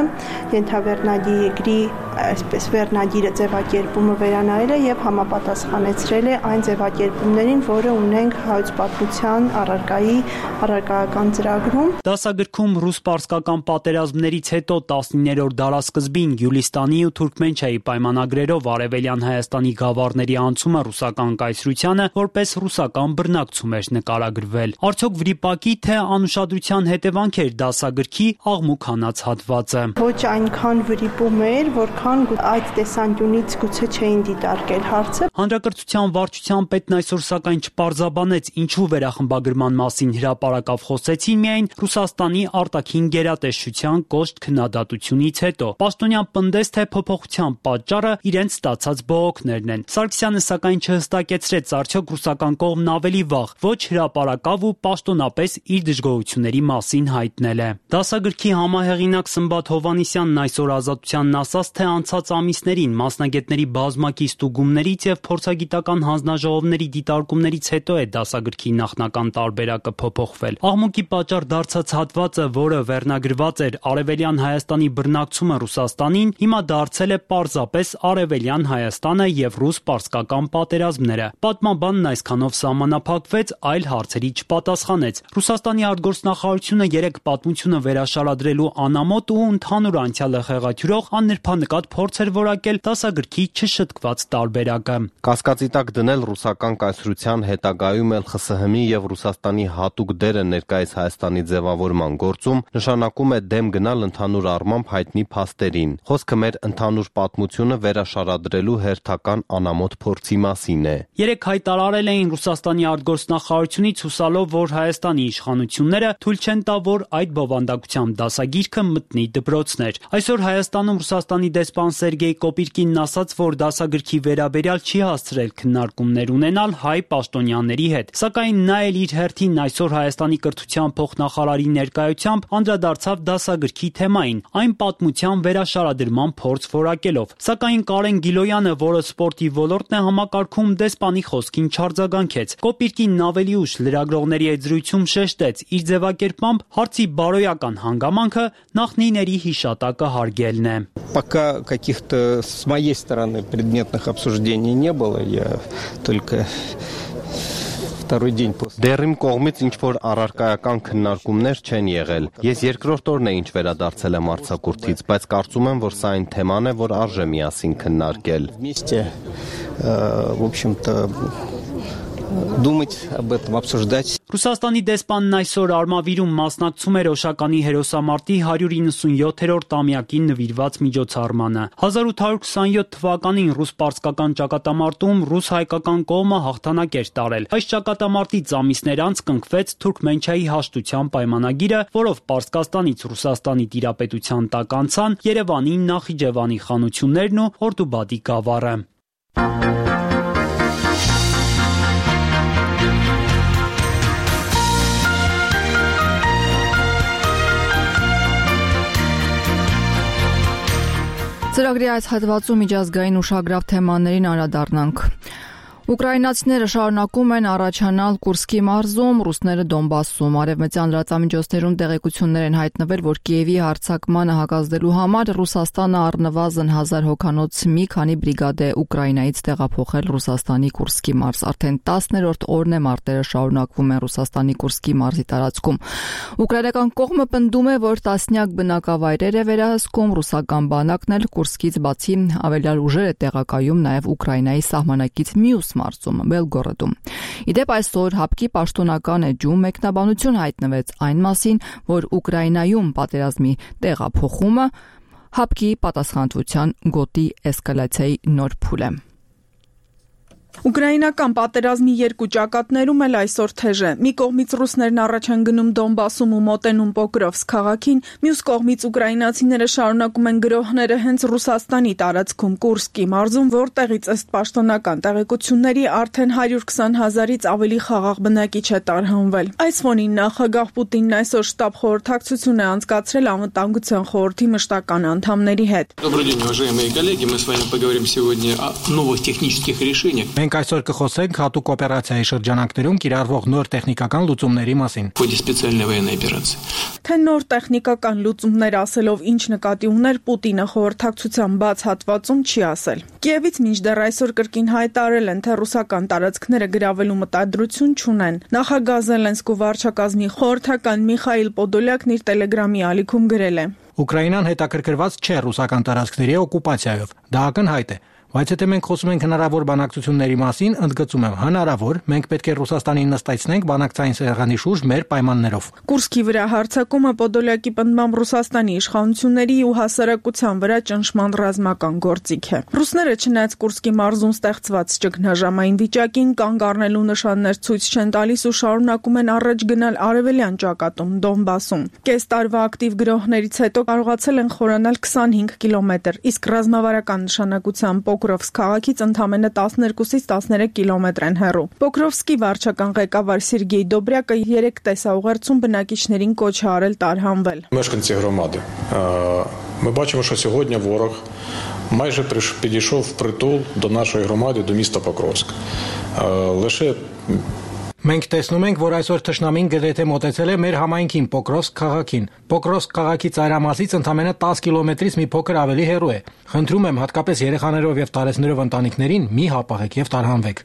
ենթավերնագիրի այսպես վերնագիրը ձևակերպումը վերանայել է եւ համապատասխանեցրել է այն ձևակերպումներին, որը ունենք հայոց պատմության առարկայական ծրագրում։ Դասագրքում ռուս-պարսկական պատերազմներից հետո 19-րդ դարասկզբին Գյուլիստանի ու Թուրքմենչայի պայմանագրերով Արևելյան Հայաստանի գավառների անցումը ռուսական կայսրությանը որպես ռուսական բռնակցում էր նկարագրվել։ Արդյոք վրիպակի թե անուշադրության հետևանք էր դասագրքի աղմուկ հանած հատվածը։ Ոչ այնքան վրիպում էր, որքան այդ տեսանկյունից գուցե չէին դիտարկել հարցը։ Հանրակրթության վարչության պետն այսօր սակայն չպարզաբանեց ինչու վերախմբագրման մասին հրապարակավ խոսեցին միայն Ռուսաստանի արտաքին գերատեսչության կոշտ քննադատությունից հետո։ Պաշտոնյան պնդեց, թե փոփոխության պատճառը իրենց ստացած բողոքներն են։ Սարգսյանը սակայն չհստակեցրեց արդյոք ռուսական կողմն ավելի վաղ ոչ հրապարակավ ու պաշտոնապես իր դժգոհությունների մասին հայտնել է։ Դասագրքի համահեղինակ Սմբատ Հովհաննիսյանն այսօր Ազատությանն ասաց, թե անցած ամիսներին մասնագետների բազմակի ստուգումներից եւ փորձագիտական հանձնաժողովների դիտարկումներից հետո է դասագրքի նախնական տարբերակը փոփոխվել։ Աղմուկի պատճառ դարձած հատվածը, որը վերնագրված էր Արևելյան Հայաստանի բռնակցումը Ռուսաստանին, հիմա դարձել է պարզապես Արևելյան Հայաստանը եւ ռուս-պարսկական պատերազմները։ Պատմաբանն այսքանով սահմանափակվեց, այլ հարցերի չպատասխանեց։ Ռուսաստանի արտգործնախարարությունը երեք պատմությունը վերաշարադրելու անամոթ ու ընդհանուր անցյալը խեղաթյուրող աննրբանկատ փորձ էր որակել դասագրքի չշտկված տարբերակը։ Կասկածի տակ դնել ռուսական կայսրության հետագայում էլ ԽՍՀՄ-ի եւ Ռուսաստանի հատուկ դերը ներկայիս Հայաստանի ձևավորման գործում նշանակում է դեմ գնալ ընդհանուր առմամբ հայտնի փաստերին։ Խոսքը մեր ընդհանուր պատմությունը վերաշարադրելու հերթական անամոթ փորձի մասին է։ Երեք հայտարարել էին Ռուսաստանի արտգործնախարարությունից հուսալով, որ Հայաստանի իշխանությունները թույլ չեն տա, որ այդ բովանդակությամբ դասագիրքը մտնի դպրոցներ։ Այսօր Հայաստանում Ռուսաստանի դեսպան Սերգեյ Կոպիրկինն ասաց, որ դասագրքի վերաբերյալ չի հասցրել քննարկումներ ունենալ հայ պաշտոնյաների հետ, սակայն նա էլ իր հերթին այսօր Հայաստանի կրթության փոխնախարարի ներկայությամբ անդրադարձավ դասագրքի թեմային, այն պատմության վերաշարադրման փորձ որակելով։ Սակայն Կարեն Գիլոյանը, որը սպորտի ոլորտն է համակարգում, դեսպանի խոսքին չարձագանքեց։ Կոպիրկինն ավելի ուշ լրագրողների հետ զրույցում շեշտեց, իր ձևակերպմամբ հարցի բարոյական հանգամանքը նախնիների հիշատակը հարգելն է։ Пока каких-то с моей стороны предметных обсуждений не было, я только второй день после. Դեռ իմ կողմից ինչ որ առարկայական քննարկումներ չեն եղել։ Ես երկրորդ օրն է ինչ վերադարձել եմ արձակուրդից, բայց կարծում եմ, որ սա այն թեման է, որ արժե միասին քննարկել։ Вместе, в общем-то, думать об этом, обсуждать. Ռուսաստանի դեսպանն այսօր Արմավիրում մասնակցում էր Օշականի հերոսամարտի 197-րդ տարեկան նվիրված միջոցառմանը։ 1827 թվականին ռուս-պարսկական ճակատամարտում ռուս-հայկական կողմը հաղթանակ էր տարել։ Այս ճակատամարտից ամիսներ անց կնքվեց Թուրքմենչայի հաշտության պայմանագիրը, որով Պարսկաստանից Ռուսաստանի տիրապետության տակ անցան Երևանի, Նախիջևանի խանություններն ու Օրդուբադի գավառը։ Ծրագրի այս հատվածում միջազգային ուշագրավ թեմաներին անդրադառնանք։ Ուկրաինացիները շարունակում են առաջանալ Կուրսկի մարզում, ռուսները Դոնբասում։ Արևմտյան լրատվամիջոցներում տեղեկություններ են հայտնվել, որ Կիևի հարձակմանը հակազդելու համար Ռուսաստանը առնվազն 1000 հոգանոց մի քանի բրիգադ է Ուկրաինայից տեղափոխել Ռուսաստանի Կուրսկի մարզ։ Արդեն 10-րդ օրն է մարտերը շարունակվում են Ռուսաստանի Կուրսկի մարզի տարածքում։ Ուկրաինական կողմը պնդում է, որ տասնյակ բնակավայրեր է վերահսկում, ռուսական բանակն էլ Կուրսկից բացի ավելյալ ուժեր է տեղակայում նաև Ուկրաինայի սահմանակից մյուս մարզում Բելգորոդում։ Իդեպ այսօր ՀԱՊԿ-ի պաշտոնական էջում մեկնաբանություն հայտնվեց այն մասին, որ Ուկրաինայում պատերազմի տեղափոխումը ՀԱՊԿ-ի պատասխանատվության գոտի էսկալացիայի նոր փուլ է։ Ուկրաինական պատերազմի երկու ճակատներում էլ այսօր թեժ է։ Մի կողմից ռուսներն առաջ են գնում Դոնբասում ու մոտենում Պոկրովսկ քաղաքին, մյուս կողմից ուկրաինացիները շարունակում են գրոհները հենց Ռուսաստանի տարածքում Կուրսկի մարզում, որտեղից ըստ պաշտոնական տեղեկությունների արդեն 120,000-ից ավելի խաղաղ բնակիչ է տարհանվել։ Այս фоնին նախագահ Պուտինն այսօր շտաբ խորհրդակցություն է անցկացրել Անվտանգության խորհրդի մշտական անդամների հետ։ Добрый день, уважаемые коллеги, мы с вами поговорим сегодня о новых технических решениях. Մենք այսօր կխոսենք հատուկ օպերացիայի շրջանակներում կիրառվող նոր տեխնիկական լուծումների մասին։ В ходе специальной военной операции. Թե նոր տեխնիկական լուծումներ ասելով ինչ նկատի ուներ Պուտինը խորհրդակցության բաց հատվածում չի ասել։ Կիևից մինչդեռ այսօր կրկին հայտարարել են, թե ռուսական տարածքները գրավելու մտադրություն չունեն։ Նախագահ Զելենսկու վարչակազմի խորհրդական Միխայիլ Պոդոլյակն իր Տելեգրամի ալիքում գրել է. Ուկրաինան հետաքրքրված չէ ռուսական տարածքների օկուպացիայով։ Դա ակնհայտ է։ Բայց եթե մենք խոսում ենք հնարավոր բանակցությունների մասին, ընդգծում եմ, հնարավոր, մենք պետք է Ռուսաստանին նստեցնենք բանակցային սեղանի շուրջ մեր պայմաններով։ Կուրսկի վրա հարձակումը Պոդոլյակի պնդմամբ Ռուսաստանի իշխանությունների ու հասարակության վրա ճնշման ռազմական գործիք է։ Ռուսները չնայած Կուրսկի մարզում ստեղծված ճգնաժամային վիճակին կանգ առնելու նշաններ ցույց չեն տալիս ու շարունակում են առաջ գնալ արևելյան ճակատում Դոնբասում։ Կես տարվա ակտիվ գրոհներից հետո կարողացել են խորանալ 25 կիլոմետր, իսկ ռազմավարական նշանակությամբ Պոկրովսկ քաղաքից ընդամենը 12-ից 13 կիլոմետր են հեռու։ Պոկրովսկի վարչական ղեկավար Սերգեյ Դոբրյակը 3 տեսաուղերձում բնակիչներին կոչ է արել տարհանվել։ Мешканці громади. Ми бачимо, що сьогодні ворог майже підійшов впритул до нашої громади, до міста Покровськ. Лише Մենք տեսնում ենք, որ այսօր թշնամին գրեթե մոտեցել է մեր համայնքին Պոկրովսկ քաղաքին։ Պոկրովսկ քաղաքի ծայրամասից ընդամենը 10 կիլոմետրից մի փոքր ավելի հեռու է։ Խնդրում եմ հատկապես երեխաներով եւ տարեցներով ընտանիքներին մի հապաղեք եւ տարհանվեք։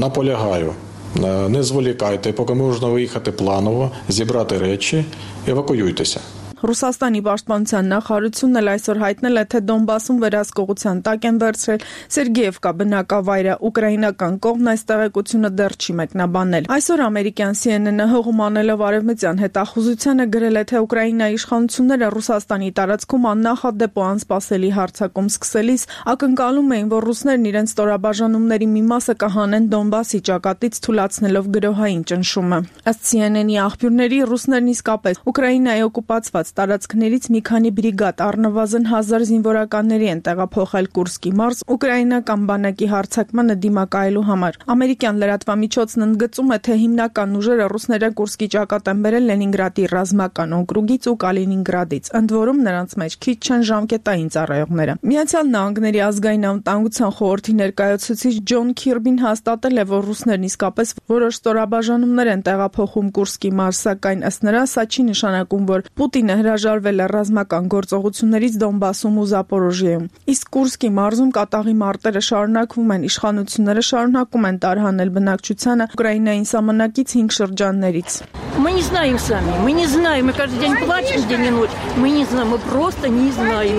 Наполягаю. Не зволікайте, поки можна виїхати планово, зібрати речі, евакуюйтеся. Ռուսաստանի պաշտպանության նախարարությունն էլ այսօր հայտնել է, թե Դոնբասում վերահսկողության տակ են վերցրել Սերգեևկա բնակավայրը։ Ուկրաինական կողմն այս տեղեկությունը դեռ չի մեկնաբանել։ Այսօր ամերիկյան CNN-ը հողում անելով արևմտյան հետախուզությանը գրել է, թե Ուկրաինայի իշխանությունները Ռուսաստանի տարածքում աննախադեպ ու անսպասելի հարձակում սկսելիս ակնկալում էին, որ ռուսներն իրենց ստորաբաժանումների մի մասը կհանեն Դոնբասի ճակատից, թույլատնելով գրոհային ճնշումը։ Ըստ CNN-ի աղբյուրների ռուսներն իսկապես Ուկրաինայի օկուպացված տարածքներից մի քանի բրիգադ առնվազն 1000 զինվորականների են տեղափոխել Կուրսկի մարզ ուկրաինական բանակի հարձակմանը դիմակայելու համար։ Ամերիկյան լրատվամիջոցն ընդգծում է, թե հիմնական ուժերը ռուսները Կուրսկի ճակատ են բերել Լենինգրադի ռազմական օկրուգից ու Կալինինգրադից, ընդ որում նրանց մեջ քիչ չեն ժամկետային ծառայողները։ Միացյալ Նահանգների ազգային անվտանգության խորհրդի ներկայացուցիչ Ջոն Քիրբին հաստատել է, որ ռուսներն իսկապես որոշ ստորաբաժանումներ են տեղափոխում Կուրսկի մարզ, սակայն ըստ նրա սա չի նշանակում, որ Պուտինը հրաժարվել է ռազմական գործողություններից Դոնբասում ու Զապորոժիեում։ Իսկ Կուրսկի մարզում կատաղի մարտերը շարունակվում են, իշխանությունները շարունակում են տարհանել բնակչությանը Ուկրաինային սահմանակից 5 շրջաններից։ Мы не знаем сами, мы не знаем, мы каждый день плачем день и ночь. Мы не знаем, мы просто не знаем.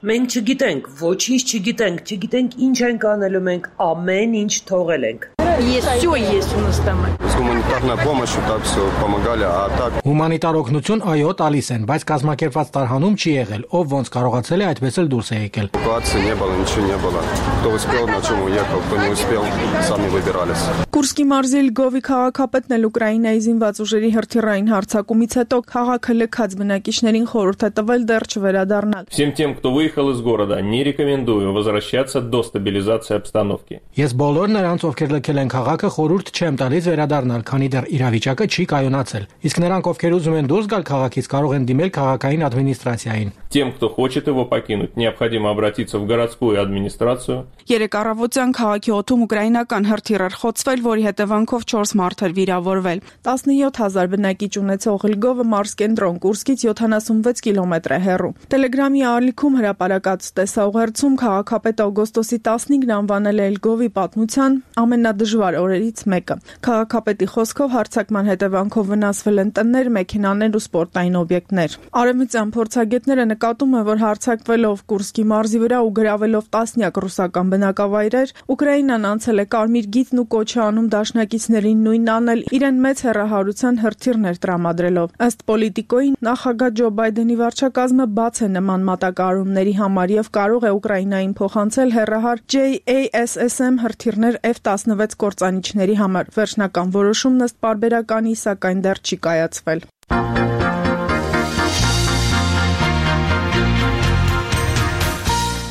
Մենք չգիտենք, ոչինչ չգիտենք ինչ ենք անելու, մենք ամեն ինչ թողել ենք։ есть, все есть у нас там. С гуманитарной помощью так все помогали, а так... Հումանիտար օգնություն այո տալիս են, բայց կազմակերպված տարհանում չի եղել, ով ոնց կարողացել է այդպես էլ դուրս է եկել։ Эвакуации не было, ничего не было. Кто успел, на чем уехал, кто не успел, сами выбирались. Կուրսկի մարզի Լգովի քաղաքապետն էլ Ուկրաինայի զինված ուժերի հրթիռային հարձակումից հետո քաղաքը լքած բնակիչներին խորհուրդ է տվել դեռ չվերադառնալ։ Всем тем, кто выехал из города, не рекомендую возвращаться до стабилизации обстановки. Ես բոլոր նրանց, ովքեր լքել են քաղաքը, խորհուրդ չեմ տալիս վերադառնալ, քանի դեռ իրավիճակը չի կայունացել։ Իսկ նրանք, ովքեր ուզում են դուրս գալ քաղաքից, կարող են դիմել քաղաքային ադմինիստրացիային։ Тем, кто хочет его покинуть, необходимо обратиться в городскую администрацию. Երեք առավոտյան քաղաքի օդում ուկրաինական հրթիռ էր խոցվել, որի հետևանքով 4 մարդ էր վիրավորվել։ 17000 բնակիչ ունեցող Լգովը մարզկենտրոն Կուրսկից 76 կիլոմետր է հեռու։ Տելեգրամի ալիքում հրապարակած տեսաուղերձում քաղաքապետ օգոստոսի 15-ն անվանել է Լգովի պատմության ամենադժվար օրերից մեկը։ Քաղաքապետի խոսքով հարձակման հետևանքով վնասվել են տներ, մեքենաներ ու սպորտային օբյեկտներ։ Արևմտյան փորձագետները նկատում են, որ հարձակվելով Կուրսկի մարզի վրա ու գրավելով տասնյակ ռուսական բնակավայրեր, Ուկրաինան անցել է կարմիր գիծն ու կոչ է անում դաշնակիցներին նույնն անել, իրեն մեծ հեռահարության հրթիռներ տրամադրելով։ Ըստ Պոլիտիկոյի, նախագահ Ջո Բայդենի վարչակազմը բաց է նման մատակարարումների համար եւ կարող է Ուկրաինային փոխանցել հեռահար JASSM հրթիռներ F-16 կործանիչների համար։ Վերջնական որոշումն ըստ պարբերականի, սակայն դեռ չի կայացվել։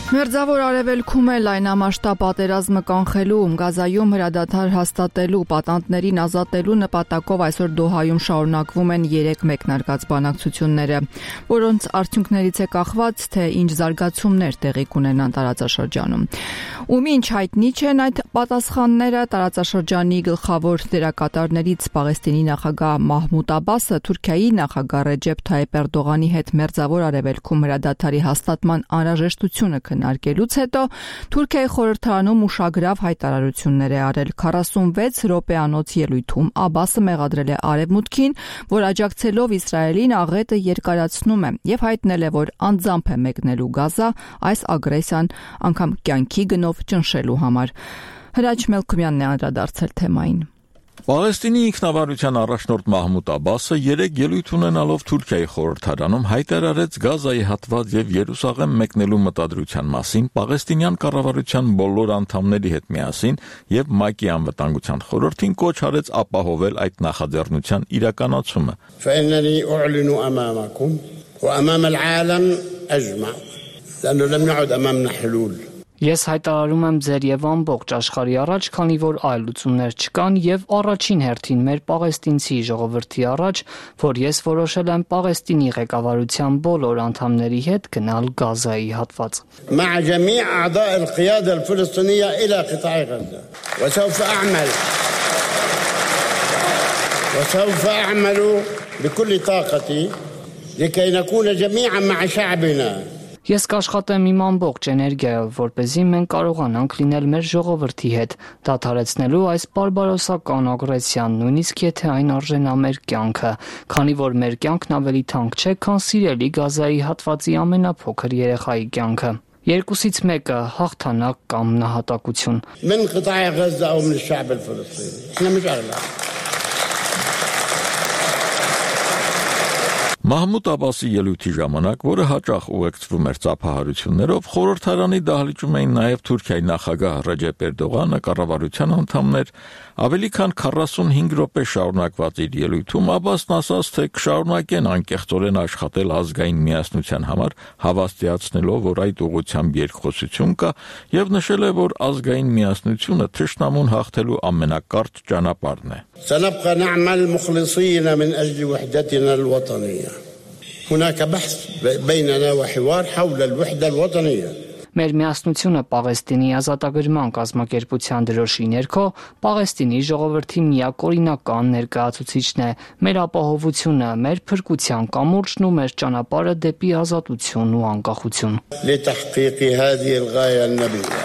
Մերձավոր արևելքում է լայնամասշտաբ պատերազմը կանխելու, Գազայում հրադադար հաստատելու, պատանդներին ազատելու նպատակով այսօր Դոհայում շարունակվում են 3 մեկնարկած բանակցությունները, որոնց արդյունքներից է կախված, թե ինչ զարգացումներ տեղի կունենան տարածաշրջանում։ Ու մինչ հայտնի չեն այդ պատասխանները, տարածաշրջանի գլխավոր դերակատարներից Պաղեստինի նախագահ Մահմուդ Աբասը Թուրքիայի նախագահ Ռեջեփ Թայիփ Էրդողանի հետ Մերձավոր արևելքում հրադադարի հաստատման անհրաժեշտությունը քննարկելուց հետո Թուրքիայի խորհրդարանում ուշագրավ հայտարարություններ է արել 46 րոպեանոց ելույթում Աբասը մեղադրել է Արևմուտքին, որ աջակցելով Իսրայելին աղետը երկարացնում է եւ հայտնել է, որ անձամբ է մեկնելու Գազա այս ագրեսիան անգամ կյանքի գնով ճնշելու համար։ Հրաչ Մելքումյանն է անդրադարձել թեմային։ Պաղեստինի ինքնավարության առաջնորդ Մահմուդ Աբասը 3 ելույթ ունենալով Թուրքիայի խորհրդարանում հայտարարեց Գազայի հատված եւ Երուսաղեմ մեկնելու մտադրության մասին Պաղեստինյան կառավարության բոլոր անդամների հետ միասին եւ ՄԱԿ-ի անվտանգության խորհրդին կոչ արեց ապահովել այդ նախաձեռնության իրականացումը։ فإنني أعلن أمامكم وأمام العالم أجمع لأنه لم يعد أمامنا حلول. Ես հայտարարում եմ ձեր եւ ամբողջ աշխարհի առաջ, քանի որ այլ լուծումներ չկան եւ առաջին հերթին մեր պաղեստինցի ժողովրդի առաջ, որ ես որոշել եմ Պաղեստինի ղեկավարության բոլոր անդամների հետ գնալ Գազայի հատված։ مع جميع أعضاء القيادة الفلسطينية إلى قطاع غزة وسوف أعمل بكل طاقتي لكي نكون جميعا مع شعبنا. Ես կաշխատեմ իմ ամբողջ էներգիայով, որպեսզի մենք կարողանանք լինել մեր ժողովրդի հետ, դադարեցնելու այս բարբարոսական ագրեսիան, նույնիսկ եթե այն արժենա մեր կյանքը, քանի որ մեր կյանքն ավելի թանկ չէ, քան սիրելի Գազայի հատվածի ամենափոքր երեխայի կյանքը։ Երկուսից մեկը հաղթանակ կամ նահատակություն։ من قطاع غزة أو من الشعب الفلسطيني. إحنا مش أغلب. Մահմուդ Աբասի ելույթի ժամանակ, որը հաճախ ուղեկցվում էր ծափահարություններով, խորհրդարանի դահլիճում էին նաև Թուրքիայի նախագահ Ռեջեփ Էրդողանը, կառավարության անդամներ, ավելի քան 45 րոպե շարունակված իր ելույթում Աբասն ասաց, թե կշարունակեն անկեղծորեն աշխատել ազգային միասնության համար, հավաստիացնելով, որ այդ ուղղությամբ երկխոսություն կա, եւ նշել է, որ ազգային միասնությունը թշնամուն հաղթելու ամենակարճ ճանապարհն է։ سنبقى نعمل مخلصين من أجل وحدتنا الوطنية. هناك بحث بيننا وحوار حول الوحدة الوطنية. Մեր միասնությունը Պաղեստինի ազատագրման կազմակերպության դրոշի ներքո Պաղեստինի ժողովրդի միակօրինական ներկայացուցիչն է, մեր ապահովությունը, մեր փրկության կամուրջն ու մեր ճանապարհը դեպի ազատություն ու անկախություն։ لتحقيق هذه الغاية النبيلة.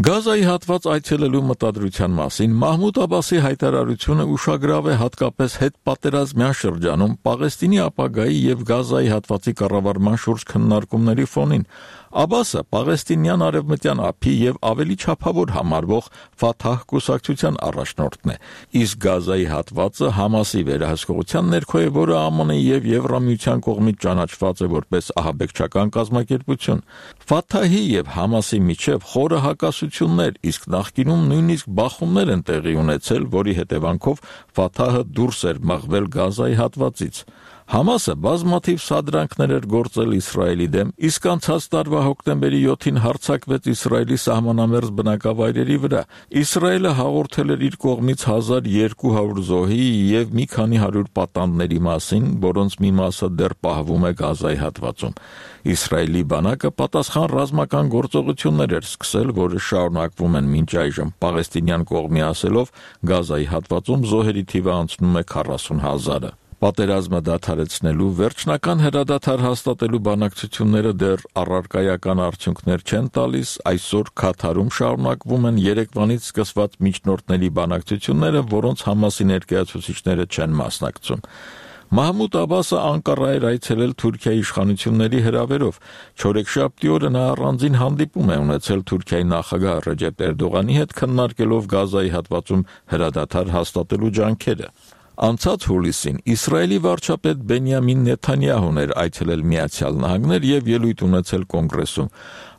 Գազայի հատված այցելելու մտադրության մասին Մահմուդ Աբասի հայտարարությունը ուշագրավ է հատկապես հետպատերազմյան շրջանում Պաղեստինի ապագայի եւ Գազայի հատվածի կառավարման շուրջ քննարկումների ֆոնին։ Աբասը Պաղեստինյան արևմտյան ափի եւ ավելի չափավոր համարվող Ֆաթահ կուսակցության առաջնորդն է, իսկ Գազայի հատվածը Համասի վերահսկողության ներքո է, որը ԱՄՆ-ի եւ Եվրամիության կողմից ճանաչված է որպես ահաբեկչական կազմակերպություն։ Ֆաթահի եւ Համասի միջև խորը հակասություններ, իսկ նախկինում նույնիսկ բախումներ են տեղի ունեցել, որի հետևանքով Ֆաթահը դուրս էր մղվել Գազայի հատվածից։ Համասը բազմաթիվ սադրանքներ էր գործել Իսրայելի դեմ, իսկ անցած տարվա հոկտեմբերի 7-ին հարձակվեց Իսրայելի սահմանամերձ բնակավայրերի վրա։ Իսրայելը հաղորդել էր իր կողմից 1200 զոհի եւ մի քանի 100 պատանդների մասին, որոնց մի մասը դեռ պահվում է Գազայի հատվածում։ Իսրայելի բանակը պատասխան ռազմական գործողություններ էր սկսել, որը շարունակվում են մինչ այժմ, պաղեստինյան կողմի ասելով, Գազայի հատվածում զոհերի թիվը անցնում է 40,000-ը։ Պատերազմը դադարեցնելու վերջնական հրադադար հաստատելու բանակցությունները դեռ առարկայական արդյունքներ չեն տալիս, այսօր Քաթարում շարունակվում են երեկվանից սկսված միջնորդների բանակցությունները, որոնց Համասի ներկայացուցիչները չեն մասնակցում։ Մահմուդ Աբասը Անկարա էր այցելել Թուրքիայի իշխանությունների հրավերով։ Չորեքշաբթի օրը նա առանձին հանդիպում է ունեցել Թուրքիայի նախագահ Ռեջեփ Էրդողանի հետ, քննարկելով Գազայի հատվածում հրադադար հաստատելու ջանքերը։ Անցած հուլիսին Իսրայելի վարչապետ Բենյամին Նեթանյահուն էր այցելել Միացյալ Նահանգներ եւ ելույթ ունեցել կոնգրեսում։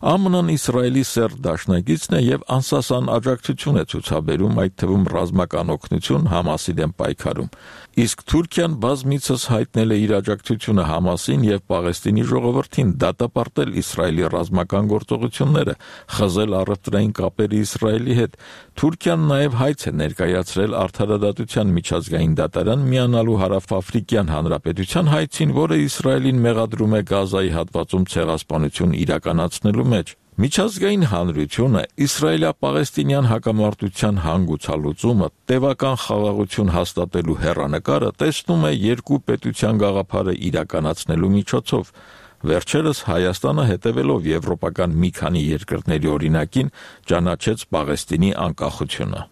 ԱՄՆ-ն Իսրայելի սերտ դաշնակիցն է եւ անսասան աջակցություն է ցուցաբերում, այդ թվում ռազմական օգնություն Համասի դեմ պայքարում։ Իսկ Թուրքիան բազմիցս հայտնել է իր աջակցությունը Համասին եւ Պաղեստինի ժողովրդին դատապարտել Իսրայելի ռազմական գործողությունները, խզել առևտրային կապերը Իսրայելի հետ։ Թուրքիան նաեւ հայց է ներկայացրել Արդարադատության միջազգային դատարան միանալու Հարավաֆրիկյան Հանրապետության հայցին, որը Իսրայելին մեղադրում է Գազայի հատվածում ցեղասպանություն իրականացնելու մեջ։ Միջազգային հանրությունը Իսրայելա-Պաղեստինյան հակամարտության հանգուցալուծումը տևական խաղաղություն հաստատելու հեռանկարը տեսնում է երկու պետության գաղափարը իրականացնելու միջոցով։ Վերջերս Հայաստանը հետևելով եվրոպական մի քանի երկրների օրինակին ճանաչեց Պաղեստինի անկախությունը։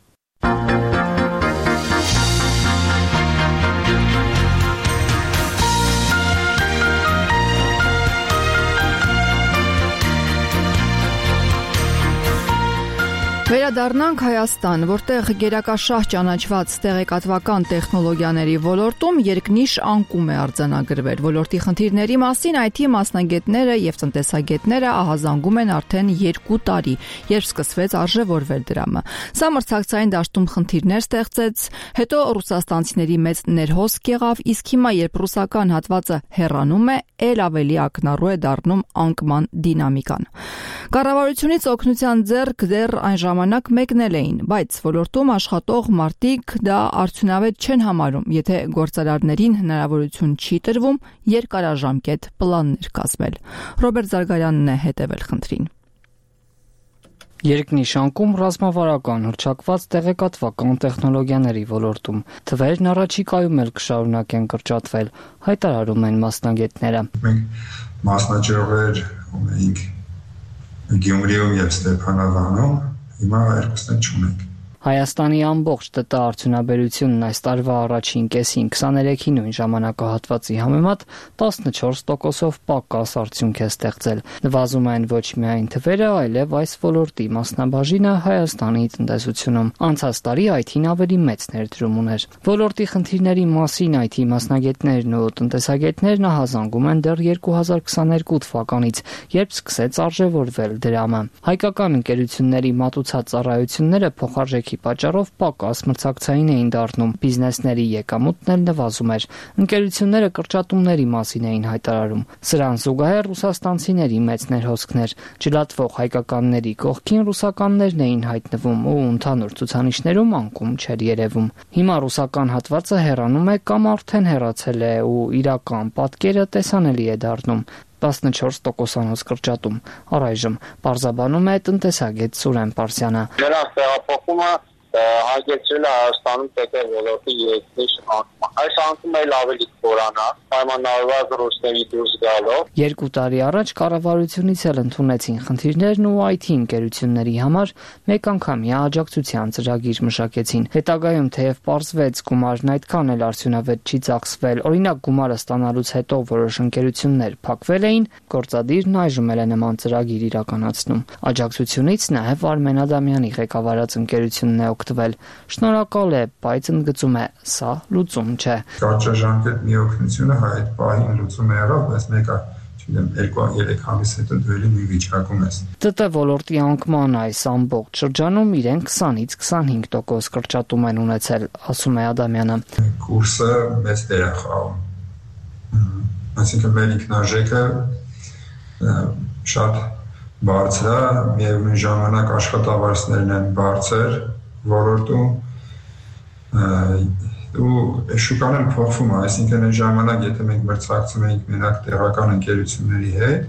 Վերադառնանք Հայաստան, որտեղ գերակաշահ ճանաչված տեղեկատվական տեխնոլոգիաների ոլորտում երկնիշ անկում է արձանագրվել։ Ոլորտի խնդիրների մասին IT մասնագետները եւ տնտեսագետները ահազանգում են արդեն 2 տարի, երբ սկսվեց արժևորվել դրամը։ Սա մրցակցային դաշտում խնդիրներ ստեղծեց, հետո ռուսաստանցիների մեծ ներհոսք եղավ, իսկ հիմա երբ ռուսական հատվածը հեռանում է, ել ավելի ակնառու է դառնում անկման դինամիկան։ Կառավարությունից օգնության ձեռք դեռ այն ժամանակ մեկնել էին, բայց ոլորտում աշխատող մարդիկ դա արդյունավետ չեն համարում, եթե գործարարներին հնարավորություն չի տրվում երկարաժամկետ պլաններ կազմել։ Ռոբերտ Զարգարյանն է հետևել խնդրին։ Երկնիշ անկում ռազմավարական հռչակված տեղեկատվական տեխնոլոգիաների ոլորտում թվերն առաջիկայում էլ կշարունակեն կրճատվել, հայտարարում են մասնագետները։ Մենք մասնաճյուղեր ունեինք Գյումրիում եւ Ստեփանավանում, հիմա երկուսն չունենք։ Հայաստանի ամբողջ ՏՏ արդյունաբերությունն այս տարվա առաջին կեսին 23-ի նույն ժամանակահատվածի համեմատ 14%-ով պակաս արդյունք է ստեղծել։ Նվազում են ոչ միայն թվերը, այլև այս ոլորտի մասնաբաժինը Հայաստանի տնտեսությունում։ Անցած տարի IT-ն ավելի մեծ ներդրում ուներ։ Ոլորտի խնդիրների մասին IT մասնագետներն ու տնտեսագետներն ահազանգում են դեռ 2022 թվականից, երբ սկսեց արժևորվել դրամը։ Հայկական ընկերությունների մատուցած ծառայությունները փոխարժեքի պատճառով պակաս մրցակցային էին դառնում, բիզնեսների եկամուտն էլ նվազում էր։ Ընկերությունները կրճատումների մասին էին հայտարարում։ Սրան զուգահեռ ռուսաստանցիների մեծ ներհոսքներ, ջլատվող հայկականների կողքին ռուսականներն էին հայտնվում ու ընդհանուր ցուցանիշներում անկում չէր երևում։ Հիմա ռուսական հատվածը հեռանում է կամ արդեն հեռացել է ու իրական պատկերը տեսանելի է դառնում։ 14%-անոց կրճատում։ Առայժմ պարզաբանում է տնտեսագետ Սուրեն Պարսյանը։ Նրանց տեղափոխումը հագեցրել է Հայաստանում ՏՏ ոլորտի երկնիշ անկում Այս անկում էլ ավելի կորանա, պայմանավորված ռուսների դուրս գալով։ 2 տարի առաջ կառավարությունից էլ ընդունեցին խնդիրներն ու IT ընկերությունների համար մեկ անգամյա աջակցության ծրագիր մշակեցին։ Հետագայում թեև պարզվեց գումարն այդքան էլ արդյունավետ չի ծախսվել, օրինակ գումարը ստանալուց հետո որոշ ընկերություններ փակվել էին, գործադիրն այժմ էլ է նման ծրագիր իրականացնում։ Աջակցությունից նաև Արմեն Ադամյանի ղեկավարած ընկերությունն է օգտվել։ Շնորհակալ է, բայց ընդգծում է, սա լուծում չէ։ Կարճաժամկետ մի օգնությունը այդ պահին լուծում է եղավ, բայց մեկը 2-3 ամիս հետո դու էլի մի վիճակում ես։ ՏՏ ոլորտի անկման այս ամբողջ շրջանում իրեն 20-ից 25% կրճատում են ունեցել, ասում է Ադամյանը։ Կուրսը մեծ դեր է խաղում։ Այսինքն մեր ինքնարժեքը շատ բարձր է, միևնույն ժամանակ աշխատավարձներն են բարձր ոլորտում ու շուկան էլ փոխվում է, այսինքն այն ժամանակ եթե մենք մրցակցում էինք մենակ տեղական ընկերությունների հետ,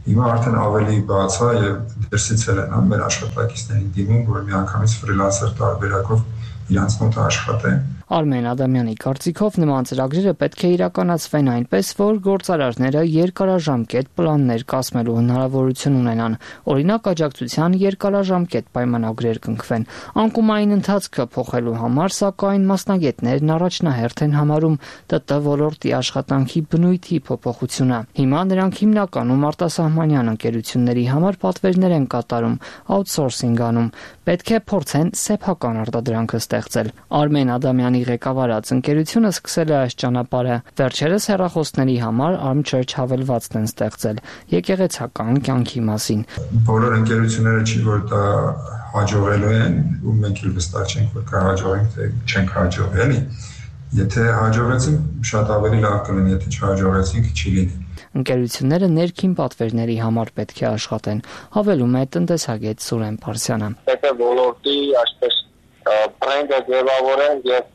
հիմա արդեն ավելի բաց է եւ դրսից էլ են մեր աշխատակիցներին դիմում, որ միանգամից ֆրիլանսեր տարբերակով իրանց մոտ աշխատեն։ Արմեն Ադամյանի կարծիքով նման ծրագրերը պետք է իրականացվեն այնպես, որ գործարարները երկարաժամկետ պլաններ կազմելու հնարավորություն ունենան, օրինակ աջակցության երկարաժամկետ պայմանագրեր կնքվեն։ Անկումային ընթացքը փոխելու համար, սակայն մասնագետներն առաջնահերթ են համարում ՏՏ ոլորտի աշխատանքի բնույթի փոփոխությունը։ Հիմա նրանք հիմնականում արտասահմանյան ընկերությունների համար պատվերներ են կատարում, outsourcing անում, պետք է փորձեն սեփական արտադրանքը ստեղծել։ Արմեն Ադամյանի ղեկավարած ընկերությունը սկսել է այս ճանապարհը։ Վերջերս հեռախոսների համար Armchurch հավելվածն են ստեղծել եկեղեցական կյանքի մասին։ Բոլոր ընկերությունները չի որ դա հաջողելու են, ու մենք էլ վստահ չենք որ կհաջողենք, թե չենք հաջողելի։ Եթե հաջողեցին, շատ ավելի լավ կլինի, եթե չհաջողեցինք, չի լինի։ Ընկերությունները ներքին պատվերների համար պետք է աշխատեն, հավելում է տնտեսագետ Սուրեն Փարսյանը։ Պետք է ոլորտի այսպես բրենդը ձևավորեն եւ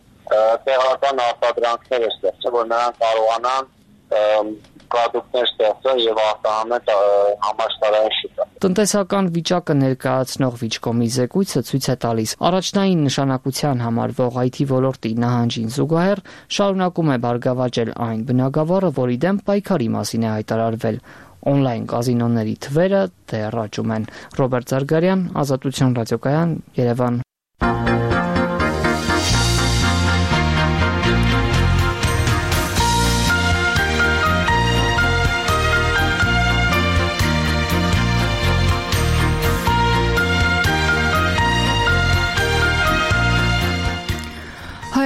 տեղական արտադրանքներ ստեղծել, որ նրանք կարողանան պրոդուկտներ ստեղծել եւ արտահանել համաշխարհային շուկա։ Տնտեսական վիճակը ներկայացնող Վիճկոմի զեկույցը ցույց է տալիս առաջնային նշանակության համարվող IT ոլորտի նահանջին զուգահեռ շարունակում է բարգավաճել այն բնագավառը, որի դեմ պայքարի մասին է հայտարարվել։ Օնլայն կազինոների թվերը դեռ աճում են։ Ռոբերտ Զարգարյան, Ազատություն ռադիոկայան, Երևան։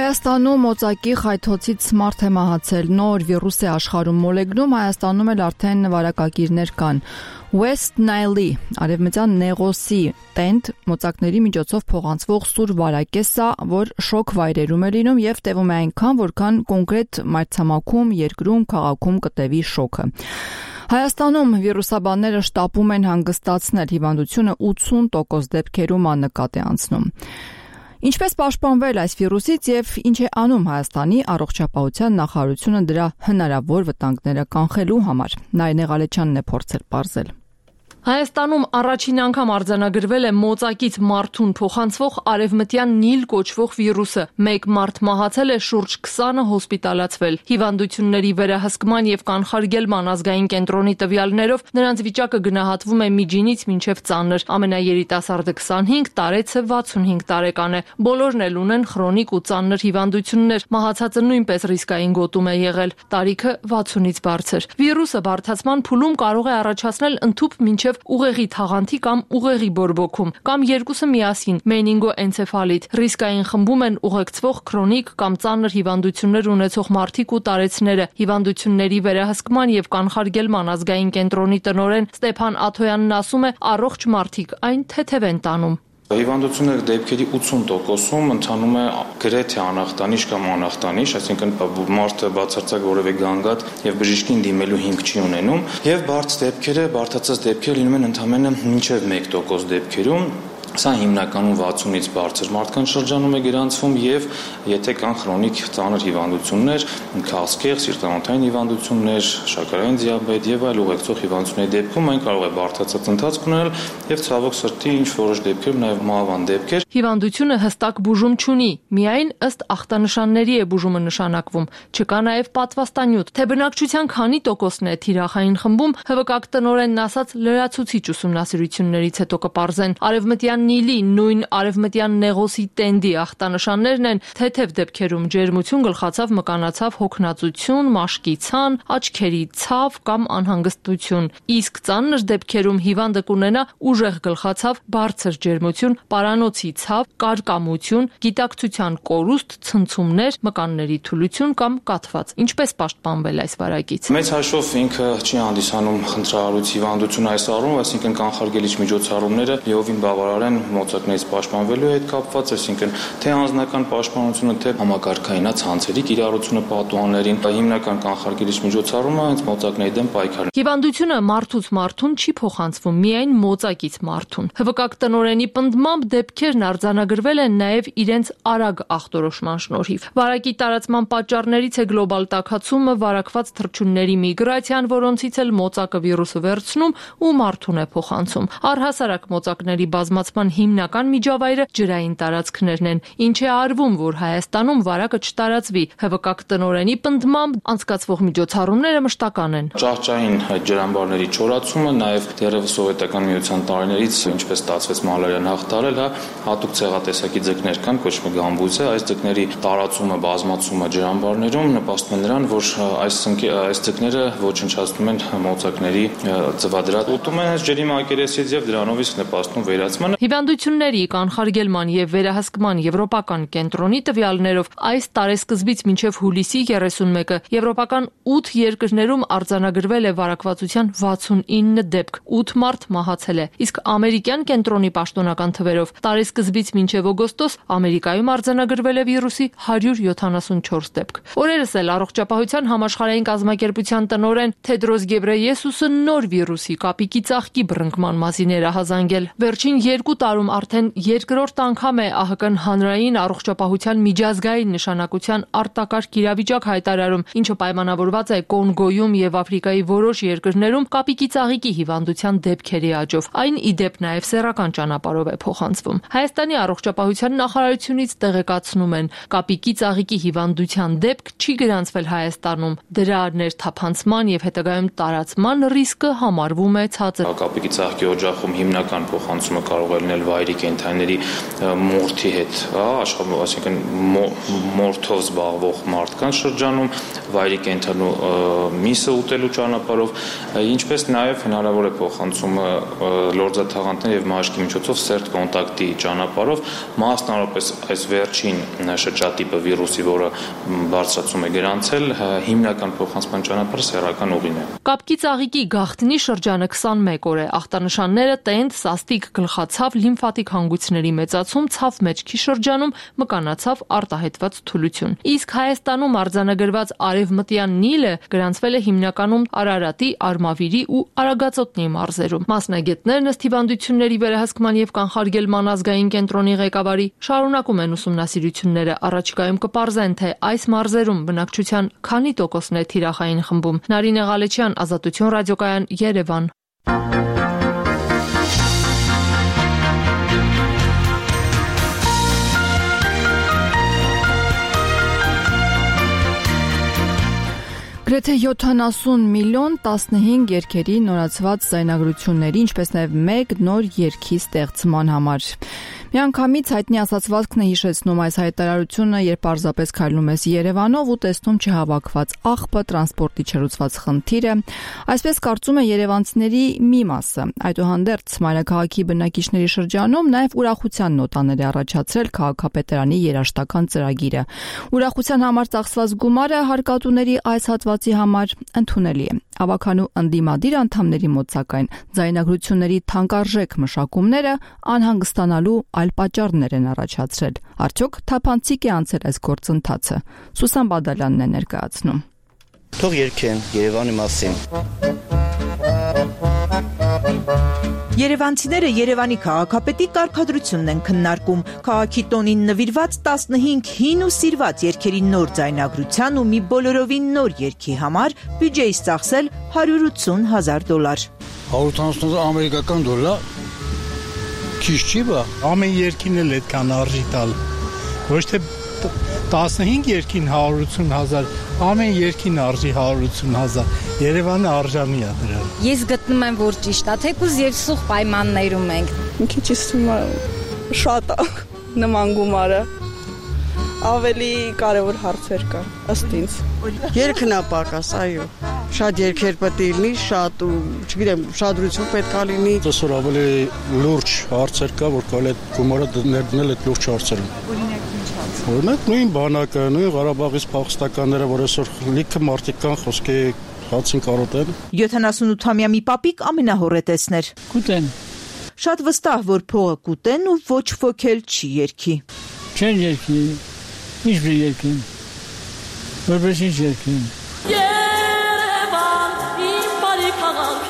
Հայաստանում օծակի խայթոցից սմարթ է մահացել, նոր վիրուս է աշխարհում մոլեգնում, Հայաստանում էլ արդեն վարակագիրներ կան։ West Nile-ի արևմտյան Նեղոսի տենտ մոծակների միջոցով փոխանցվող սուր վարակ է սա, որ շոկ վայրերում է լինում եւ տևում է այնքան, որքան կոնկրետ մայրցամաքում, երկրում, քաղաքում կտևի շոկը։ Հայաստանում վիրուսաբանները շտապում են հանգստացնել հիվանդությունը 80% դեպքերում աննկատ է անցնում։ Ինչպես պաշտպանվել այս վիրուսից եւ ինչ է անում Հայաստանի առողջապահության նախարարությունը դրա հնարավոր վտանգները կանխելու համար։ Նայնե Ղալեչյանն է փորձել պարզել։ Հայաստանում առաջին անգամ արձանագրվել է մոծակից մարդուն փոխանցվող արևմտյան Նիլ կոչվող վիրուսը։ Մեկ մարդ մահացել է, շուրջ 20-ը հոսպիտալացվել։ Հիվանդությունների վերահսկման եւ կանխարգելման ազգային կենտրոնի տվյալներով նրանց վիճակը գնահատվում է միջինից մինչեւ ծանր։ Ամենաերիտասարդը 25, տարեցը 65 տարեկան է։ Բոլորն էլ ունեն քրոնիկ ու ծանր հիվանդություններ։ Մահացածը նույնպես ռիսկային գոտում է եղել։ Տարիքը 60-ից բարձր։ Վիրուսը բարդացման փուլում կարող է առաջացնել ընդհուպ մինչեւ ուղեղի թաղանթի կամ ուղեղի բորբոքում, կամ երկուսը միասին, մենինգոէնցեֆալիտ։ Ռիսկային խմբում են ուղեկցվող քրոնիկ կամ ծանր հիվանդություններ ունեցող մարդիկ ու տարեցները։ Հիվանդությունների վերահսկման եւ կանխարգելման ազգային կենտրոնի տնօրեն Ստեփան Աթոյանն ասում է, առողջ մարդիկ այն թեթև են տանում։ Հիվանդությունների դեպքերի 80%-ում ընթանում է գրեթե անախտանիշ կամ անախտանիշ, այսինքն մարդը բացարձակ որևէ գանգատ եւ բժիշկին դիմելու հիմք չի ունենում, եւ բարդ դեպքերը, բարդացած դեպքերը լինում են ընդամենը մինչեւ 1% դեպքերում։ Սա հիմնականում 60-ից բարձր մարդկանց շրջանում է գրանցվում եւ եթե կան քրոնիկ ծանր հիվանդություններ, քաղցկեղ, սիրտանոթային հիվանդություններ, շաքարային դիաբետ եւ այլ ուղեկցող հիվանդությունների դեպքում այն կարող է բարդացած ընթացք ունենալ եւ ցավոք սրտի ինչ որոշ դեպքերում նաեւ մահվան դեպքեր։ Հիվանդությունը հստակ բուժում չունի, միայն ըստ ախտանշանների է բուժումը նշանակվում։ Չկա նաեւ պատվաստանյութ, թե բնակչության քանի տոկոսն է թիրախային խմբում, ՀՎԿ տնօրենն ասաց լրացուցիչ ուսումնասիրություններից հետո կպարզեն։ Արևմտյան Նիլի նույն արևմտյան Նեղոսի տենդի ախտանշաններն են թեթև դեպքերում ջերմություն, գլխացավ, մկանացավ, հոգնածություն, մաշկի ցան, աչքերի ցավ կամ անհանգստություն։ Իսկ ծանր դեպքերում հիվանդը կունենա ուժեղ գլխացավ, բարձր ջերմություն, պարանոցի ցավ, կարկամություն, գիտակցության կորուստ, ցնցումներ, մկանների թուլություն կամ կաթված։ Ինչպես պաշտպանվել այս վարակից։ Մեծ հաշվով ինքը չի հանդիսանում խնդրահարույց հիվանդություն այս առումով, այսինքն կանխարգելիչ միջոցառումները լիովին բավարար են մոծակներից պաշտպանվելու հետ կապված, այսինքն թե անձնական պաշտպանությունը, թե համակարգային ցանցերի կիրառությունը պատուհաններին, հիմնական կանխարգելիչ միջոցառումը հենց մոծակների դեմ պայքարն է։ Հիվանդությունը մարդուց մարդուն չի փոխանցվում, միայն մոծակից մարդուն։ ՀՎԿ տնօրենի պնդմամբ դեպքերն արձանագրվել են նաև իրենց արագ ախտորոշման շնորհիվ։ Վարակի տարածման պատճառներից է գլոբալ տաքացումը, վարակված թռչունների միգրացիան, որոնցից էլ մոծակը վիրուսը վերցնում ու մարդուն է փոխանցում։ Առհասարակ մոծակների բազմացման հիմնական միջավայրը ջրային տարածքներն են, ինչ է արվում, որ Հայաստանում վարակը չտարածվի։ ՀՎԿ տնօրենի պնդմամբ անցկացվող միջոցառումները մշտական են։ Ճահճային ջրամբարների չորացումը, նաև դեռևս սովետական միության տարիներից, ինչպես ստացվեց մալարիան հաղթարել, հատուկ ցեղատեսակի ձկներ կան, կոչվում է գամբուզը, այս ձկների տարածումը, բազմացումը ջրամբարներում նպաստում է նրան, որ այս ձկները ոչնչացնում են մոծակների ծվադրատ, ուտում են ջրի մակերեսից եւ դրանով իսկ նպաստում վերացմանը։ Հիվանդությունների կանխարգելման եւ վերահսկման եվրոպական կենտրոնի տվյալներով այս տարեսկզբից մինչև հուլիսի 31-ը եվրոպական 8 երկրներում արձանագրվել է վարակվածության 69 դեպք, 8 մարդ մահացել է, իսկ ամերիկյան կենտրոնի պաշտոնական թվերով տարեսկզբից մինչև օգոստոս Ամերիկայում արձանագրվել է վիրուսի 174 դեպք։ Օրերս էլ Առողջապահության համաշխարհային կազմակերպության տնօրեն Թեդրոս Գեբրեյեսուսը նոր վիրուսի կապիկի ծաղկի բռնկման մասին էր ահազանգել։ Վերջին 2 տարում արդեն երկրորդ անգամ է ԱՀԿ-ն հանրային առողջապահության միջազգային նշանակության արտակարգ իրավիճակ հայտարարում, ինչը պայմանավորված է Կոնգոյում եւ Աֆրիկայի որոշ երկրներում կապիկի ծաղիկի հիվանդության դեպքերի աճով։ Այն ի դեպ նաեւ սեռական ճանապարհով է փոխանցվում։ Հայաստանի առողջապահության նախարարությունից տեղեկացնում են, կապիկի ծաղիկի հիվանդության դեպք չի գրանցվել Հայաստանում։ Դրա ներթափանցման եւ հետագայում տարածման ռիսկը համարվում է ցածր։ Կապիկի ծաղկի օջախում հիմնական փոխանցումը կարող է լինել վայրի կենդանիների մորթի հետ, այսինքն մորթով զբաղվող մարդկանց շրջանում, վայրի կենդանու միսը ուտելու ճանապարհով, ինչպես նաև հնարավոր է փոխանցումը լորձաթաղանթներ եւ մաշկի միջոցով սերտ կոնտակտի ճանապարհով, մասնավորապես այս վերջին շրջատիպը վիրուսի, որը բարձրացում է գրանցել, հիմնական փոխանցման ճանապարհը սեռական ուղին է։ Կապկի ծաղիկի գաղտնի շրջանը 21 օր է։ Ախտանշանները տենդ, սաստիկ, գլխացավ, լիմֆատիկ հանգույցների մեծացում, ցավ մեջքի շրջանում, մկանացավ, արտահայտված թուլություն։ Իսկ Հայաստանում արձանագրված արևմտյան Նիլը գրանցվել է հիմնականում Արարատի, Արմավիրի ու Արագածոտնի մարզերում։ Մասնագետներն ըստ հիվանդությունների վերահսկման եւ կանխարգելման ազգային կենտրոնի ղեկավարի շարունակում են ուսումնասիրությունները։ Առաջիկայում կպարզեն, թե այս մարզերում բնակչության քանի տոկոսն է թիրախային խմբում։ Նարինե Ղալեչյան, Ազատություն ռադիոկայան, Երևան։ Գրեթե 70 միլիոն 15 երգերի նորացված ձայնագրությունների, ինչպես նաև 1 նոր երգի ստեղծման համար։ Միանգամից հայտնի ասացվածքն է հիշեցնում այս հայտարարությունը, երբ պարզապես քայլում ես Երևանով ու տեսնում չհավաքված աղբը, տրանսպորտի չլուծված խնդիրը, այսպես կարծում է երևանցիների մի մասը։ Այդուհանդերձ մայրաքաղաքի բնակիչների շրջանում նաև ուրախության նոտաներ է առաջացրել քաղաքապետարանի երաժշտական ծրագիրը։ Ուրախության համար ծախսված գումարը հարկատուների այս հատվածի համար ընդունելի է։ Ավականու ընդդիմադիր անդամների մոտ սակայն ձայնագրությունների թանկարժեք մշակումները անհանգստանալու այլ պատճառներ են առաջացրել։ Արդյոք թափանցիկ է անցել այս գործընթացը։ Սուսան Բադալյանն է ներկայացնում։ Թող երգեն Երևանի մասին։ Երևանցիները Երևանի քաղաքապետի կարգադրությունն են քննարկում։ Քաղաքի տոնին նվիրված 15 հին ու սիրված երգերի նոր ձայնագրության ու մի բոլորովին նոր երգի համար բյուջեից ծախսել $180,000։ 180,000 ամերիկական դոլար քիչ չի բա։ Ամեն երգին էլ այդքան արժի տալ։ Ոչ թե 15 երգին 180,000, ամեն երգին արժի 180,000։ Երևանը արժանի է դրան։ Ես գտնում եմ, որ ճիշտ է, թեկուզ եւ սուղ պայմաններում ենք։ Մի քիչ շատ է նման գումարը։ Ավելի կարևոր հարցեր կան, ըստ ինձ։ Երգն է պակաս, այո։ Շատ երգեր պետք է լինի, շատ, չգիտեմ, շադրություն պետք է լինի։ Այսօր ավելի լուրջ հարցեր կա, որ կարելի է գումարը ներդնել այդ լուրջ հարցերին։ Օրինակ նույն բանակը, նույն Ղարաբաղից փախստականները, որ այսօր լիքը մարդիկ կան խոսքի հացին կարոտեն։ 78-ամյա մի պապիկ ամենահոռետեսն էր։ Կուտեն։ Շատ վստահ, որ փողը կուտեն ու ոչ ոք էլ չի երգի։ Չեն երգի, ինչ բի երգին, որպես ինչ երգին։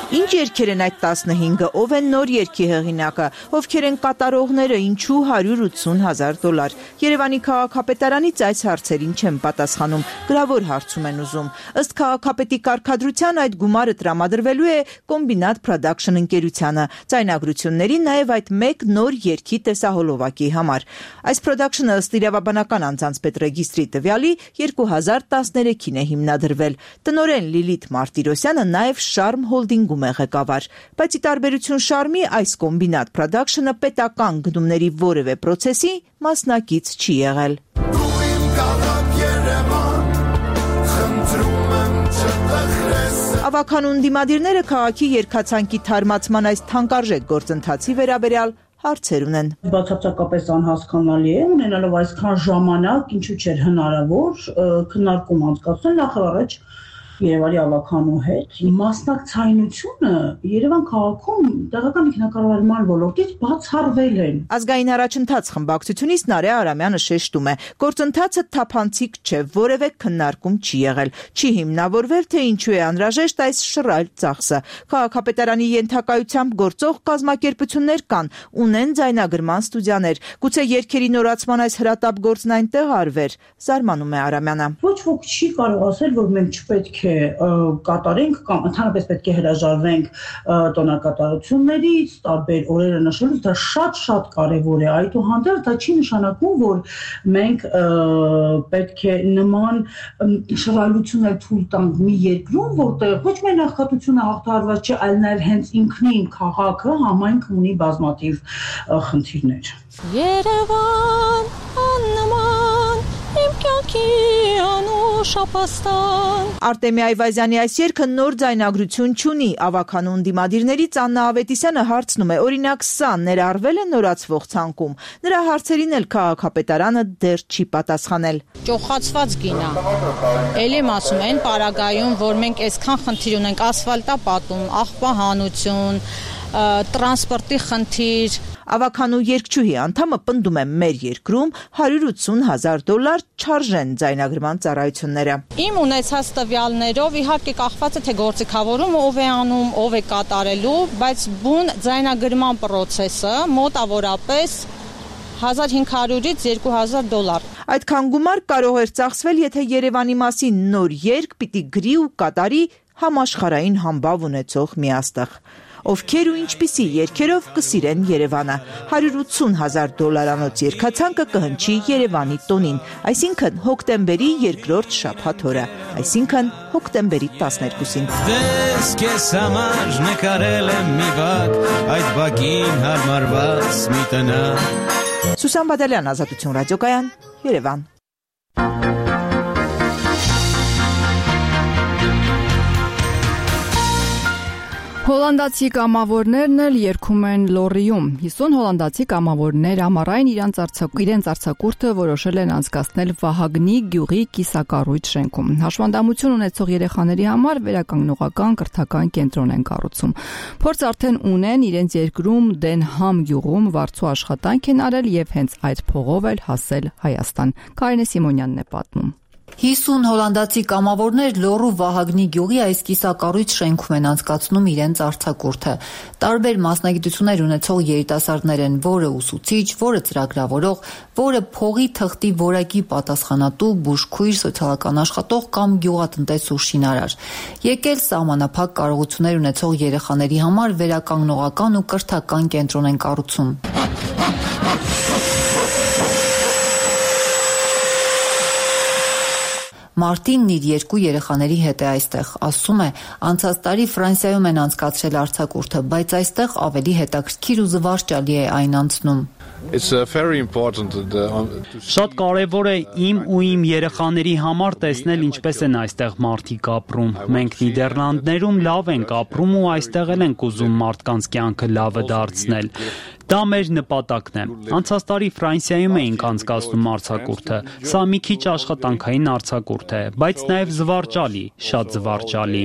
Ինչ երգեր են այդ 15-ը, ով են նոր երգի հեղինակը, ովքեր են կատարողները, ինչու $180,000։ Երևանի քաղաքապետարանից այս հարցերին չեն պատասխանում, գրավոր հարցում են ուզում։ Ըստ քաղաքապետի կարգադրության այդ գումարը տրամադրվելու է Combinat Production ընկերությանը, ձայնագրությունների նաև այդ մեկ նոր երգի տեսահոլովակի համար։ Այս production-ը ըստ իրավաբանական անձանց պետրեգիստրի տվյալի 2013-ին է հիմնադրվել։ Տնօրեն Լիլիթ Մարտիրոսյանը նաև Շարմ Հոլդինգում է ղեկավար, բայց ի տարբերություն Շարմի այս Combinat Production-ը պետական գնումների որևէ պրոցեսի մասնակից չի եղել։ Ավագանուն դիմադիրները քաղաքի երգացանկի թարմացման այս թանկարժեք գործընթացի վերաբերյալ հարցեր ունեն։ Բացարձակապես անհասկանալի է, ունենալով այսքան ժամանակ, ինչու՞ չէր հնարավոր քննարկում անցկացնել նախ առաջ Երևանի ավագանու հետ։ Մասնակցայնությունը Երևան քաղաքում տեղական ինքնակառավարման ոլորտից բացառվել են։ Ազգային առաջընթաց խմբակցությունից Նարէ Արամյանը շեշտում է, գործընթացը թափանցիկ չէ, որևէ քննարկում չի եղել, չի հիմնավորվել, թե ինչու է անհրաժեշտ այս շռայլ ծախսը։ Քաղաքապետարանի ենթակայությամբ գործող կազմակերպություններ կան, ունեն ձայնագրման ստուդիաներ։ Գուցե երգերի նորացման այս հրատապ գործն այնտեղ արվեր, զարմանում է Արամյանը։ Ոչ ոք չի կարող ասել, որ մենք չպետք է կատարենք կամ ընդհանրապես պետք է հրաժարվենք տոնակատարություններից, տարբեր օրերը նշելուց, դա շատ կարևոր է։ Այդուհանդերձ դա չի նշանակում, որ մենք պետք է նման շռայլություններ թույլ տանք մի երկրում, որտեղ ոչ միայն աղքատությունը հաղթահարված չէ, այլ նաև հենց ինքնին քաղաքը, համայնքը ունի բազմաթիվ խնդիրներ։ Երևան աննման իմ կյանքի անուշ ապաստան։ Արտեմի Այվազյանի այս երգը նոր ձայնագրություն չունի։ Ավագանուն դիմադիրներից Աննա Ավետիսյանը հարցնում է, օրինակ սա ներառվել է նորացվող ցանկում։ Նրա հարցերին էլ քաղաքապետարանը դեռ չի պատասխանել։ Ճոխացված գին է։ Էլի ասում են պարագայում, որ մենք այսքան խնդիր ունենք, ասֆալտապատում, աղբահանություն, տրանսպորտի խնդիր։ Ավագանու երգչուհի անդամը պնդում է մեր երկրում $180,000 չարժեն ձայնագրման ծառայությունները։ Իմ ունեցած տվյալներով իհարկե կախված է թե գործիքավորումը ով է անում, ով է կատարելու, բայց բուն ձայնագրման պրոցեսը մոտավորապես $1,500-ից $2,000։ Այդքան գումար կարող էր ծախսվել, եթե Երևանի մասին նոր երգ պիտի գրի ու կատարի համաշխարհային համբավ ունեցող միաստղ։ Ովքեր ու ինչպիսի երգերով կսիրեն Երևանը։ $180,000 երգացանկը կհնչի Երևանի տոնին, այսինքն հոկտեմբերի երկրորդ շաբաթ օրը, այսինքն հոկտեմբերի 12-ին։ Դες քեզ համար նկարել եմ մի բակ, այդ բակին հարմարված մի տնակ։ Սուսան Բադալյան, Ազատություն ռադիոկայան, Երևան։ Հոլանդացի կամավորներն էլ երգում են Լորիում։ 50 հոլանդացի կամավորներ ամառային իրենց արձակուրդը որոշել են անցկացնել Վահագնի գյուղի կիսակառույց շենքում։ Հաշվանդամություն ունեցող երեխաների համար վերականգնողական կրթական կենտրոն են կառուցում։ Փորձ արդեն ունեն իրենց երկրում Դենհամ գյուղում վարձու աշխատանք են արել եւ հենց այդ փողով էլ հասել Հայաստան։ Կարինե Սիմոնյանն է պատմում։ 50 հոլանդացի կամավորներ Լոռու Վահագնի գյուղի այս կիսակառույց շենքում են անցկացնում իրենց արձակուրդը։ Տարբեր մասնագիտություններ ունեցող երիտասարդներ են, որը ուսուցիչ, որը ծրագրավորող, որը փողի թղթի որակի պատասխանատու, բուժքույր, սոցիալական աշխատող կամ գյուղատնտես ու շինարար։ Եկել սահմանափակ կարողություններ ունեցող երեխաների համար վերականգնողական ու կրթական կենտրոն են կառուցում։ Մարտինն իր 2 երեխաների հետ է այստեղ, ասում է, անցած տարի Ֆրանսիայում են անցկացրել արձակուրդը, բայց այստեղ ավելի հետաքրքիր ու զվարճալի է այն անցնում։ Շատ կարևոր է իմ ու իմ երեխաների համար տեսնել ինչպես են այստեղ մարդիկ ապրում։ Մենք Նիդերլանդներում լավ ենք ապրում ու այստեղ էլ ենք ուզում մարդկանց կյանքը լավը դարձնել։ Դա մեր նպատակն է։ Անցած տարի Ֆրանսիայում էինք անցկացնում արձակուրդը։ Սա մի քիչ աշխատանքային արձակուրդ է, բայց նաև զվարճալի, շատ զվարճալի։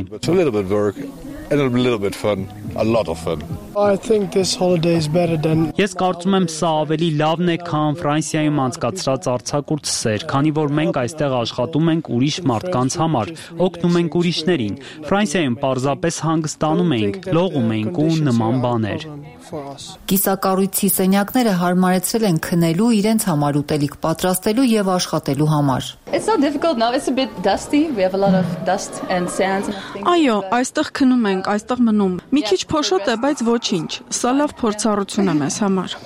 Ես կարծում եմ սա ավելի լավն է, քան Ֆրանսիայում անցկացրած արձակուրդ, քանի որ մենք այստեղ աշխատում ենք ուրիշ մարդկանց համար, օգնում ենք ուրիշներին։ Ֆրանսիայում պարզապես հանգստանում էինք, լողում էինք ու նման բաներ։ Կիսակառույցի սենյակները հարմարեցրել են քնելու, իրենց համար ուտելիք պատրաստելու եւ աշխատելու համար։ Այո, այստեղ քնում ենք, այստեղ մնում։ Մի քիչ փոշոտ է, բայց ոչինչ։ Սա լավ փորձառություն է մեզ համար։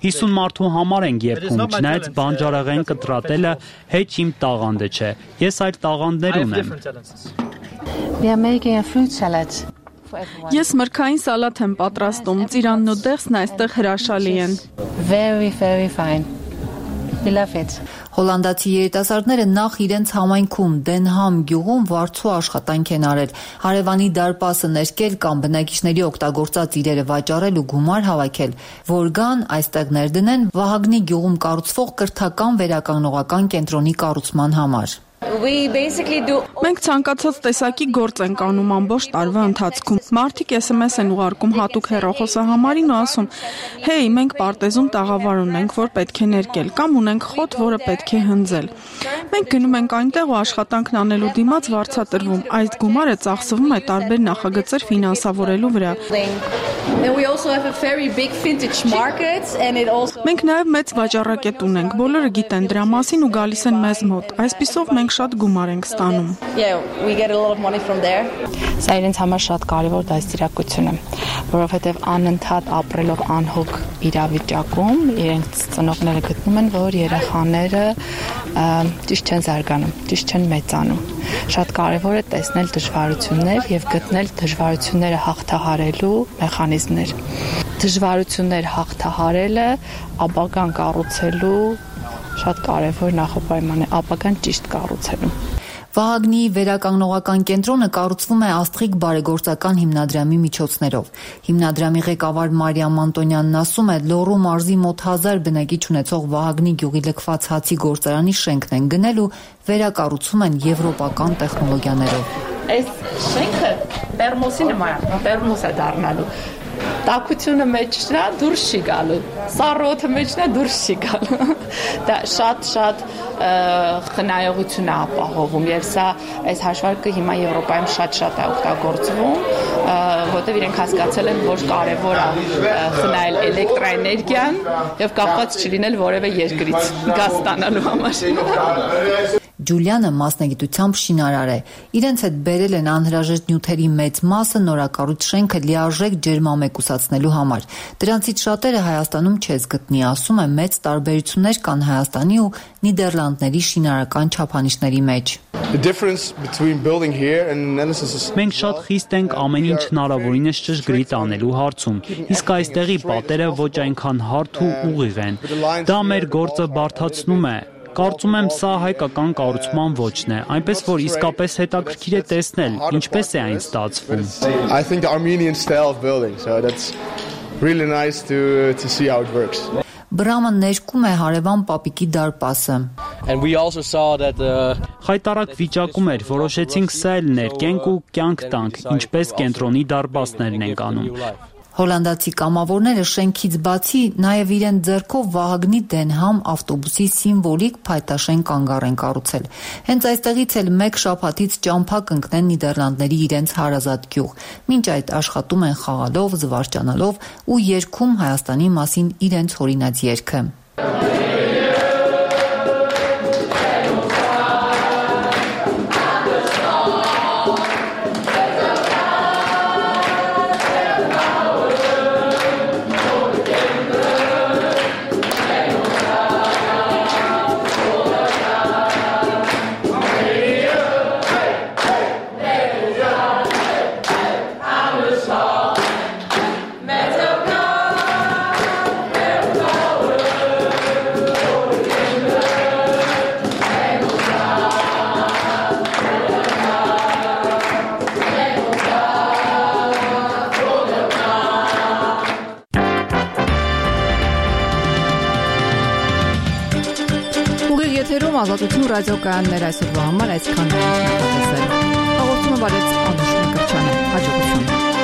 50 մարդու համար ենք երգում, չնայած բանջարեղեն կտրատելը հեչ իմ տաղանդը չէ։ Ես այդ տաղանդներ ունեմ։ Ես մրգային սալատ եմ պատրաստում, ծիրանն ու դեղսն այստեղ հրաշալի են։ Հոլանդացի երիտասարդները նախ իրենց համայնքում Դենհամ գյուղում վարձու աշխատանք են արել, հարևանի դարպասը ներկել կամ բնակիչների օգտագործած իրերը վաճառել ու գումար հավաքել, որ գան այստեղ ներդնեն Վահագնի գյուղում կառուցվող կրթական վերականգնողական կենտրոնի կառուցման համար։ Մենք ցանկացած տեսակի գործ ենք անում ամբողջ տարվա ընթացքում։ Մարդիկ SMS են ուղարկում հատուկ հեռախոսահամարին ու ասում. «Հեյ, մենք պարտեզում տաղավար ունենք, որ պետք է ներկել, կամ ունենք խոտ, որը պետք է հնձել»։ Մենք գնում ենք այնտեղ ու աշխատանքն անելու դիմաց վարձատրվում։ Այդ գումարը ծախսվում է տարբեր նախագծեր ֆինանսավորելու վրա։ Մենք նաև մեծ վաճառակետ ունենք, բոլորը գիտեն դրա մասին ու գալիս են մեզ մոտ։ Այսպիսով մենք շատ գումար ենք ստանում։ Սա իրենց համար շատ կարևոր դաստիարակություն է, որովհետև անընդհատ ապրելով անհոգ իրավիճակում իրենց ծնողները գտնում են, որ երեխաները ճիշտ չեն զարգանում, ճիշտ չեն մեծանում։ Շատ կարևոր է տեսնել դժվարություններ եւ գտնել դժվարությունները հաղթահարելու մեխանիզմներ։ Դժվարություններ հաղթահարելը ապագան կառուցելու շատ կարևոր նախապայման է, ապագան ճիշտ կառուցելու։ Վահագնի վերականգնողական կենտրոնը կառուցվում է Աստղիկ բարեգործական հիմնադրամի միջոցներով։ Հիմնադրամի ղեկավար Մարիամ Անտոնյանն ասում է, Լոռու մարզի մոտ 1000 բնակիչ ունեցող Վահագնի գյուղի լքված հացի գործարանի շենքն են գնել ու վերակառուցում են եվրոպական տեխնոլոգիաներով։ Այս շենքը տերմոսի նման է, տերմոս է դառնալու։ Տաքությունը մեջնա դուրս չի գալու, սառոթը մեջնա դուրս չի գալու։ Դա շատ խնայողություն է ապահովում եւ սա այս հաշվարկը հիմա Եվրոպայում շատ է օգտագործվում, որտեղ իրենք հասկացել են, որ կարեւոր է խնայել էլեկտրաէներգիան եւ կապված չլինել որևէ երկրից գազ ստանալու համար։ Ջուլիանը մասնագիտությամբ շինարար է։ Իրենց հետ բերել են անհրաժեշտ նյութերի մեծ մասը նորակառույց շենքը լիարժեք ջերմամեկուսացնելու համար։ Դրանցից շատերը Հայաստանում չես գտնի, ասում է, մեծ տարբերություններ կան Հայաստանի ու Նիդերլանդների շինարարական չափանիշների մեջ։ Մենք շատ խիստ ենք ամեն ինչ հնարավորինս ճշգրիտ անելու հարցում, իսկ այստեղի պատերը ոչ այնքան հարթ ու ուղիղ են։ Դա մեր գործը բարդացնում է։ Կարծում եմ սա հայկական կառուցման ոճն է, այնպես որ իսկապես հետաքրքիր է տեսնել, ինչպես է այն ստացվում։ Բրամը ներկում է հարևան պապիկի դարպասը։ Խայտարակ վիճակում էր, որոշեցինք սա էլ ներկենք ու կյանք տանք, ինչպես կենտրոնի դարպասներն ենք անում։ Հոլանդացի կամավորները շենքից բացի նաև իրեն ձեռքով Վահագնի Դենհամ ավտոբուսի սիմվոլիկ փայտաշեն կանգառ են կառուցել։ Հենց այստեղից էլ մեկ շաբաթից ճամփա կընկնեն Նիդերլանդների իրենց հարազատ գյուղ։ Մինչ այդ աշխատում են խաղալով, զվարճանալով ու երգում Հայաստանի մասին իրենց հորինած երգը։ Եթերում Ազատություն ռադիոկայաններ այսօրվա համար այսքան։ Հաղորդումը բարեց Անուշ Մկրտչյանը։ Հաջողություն։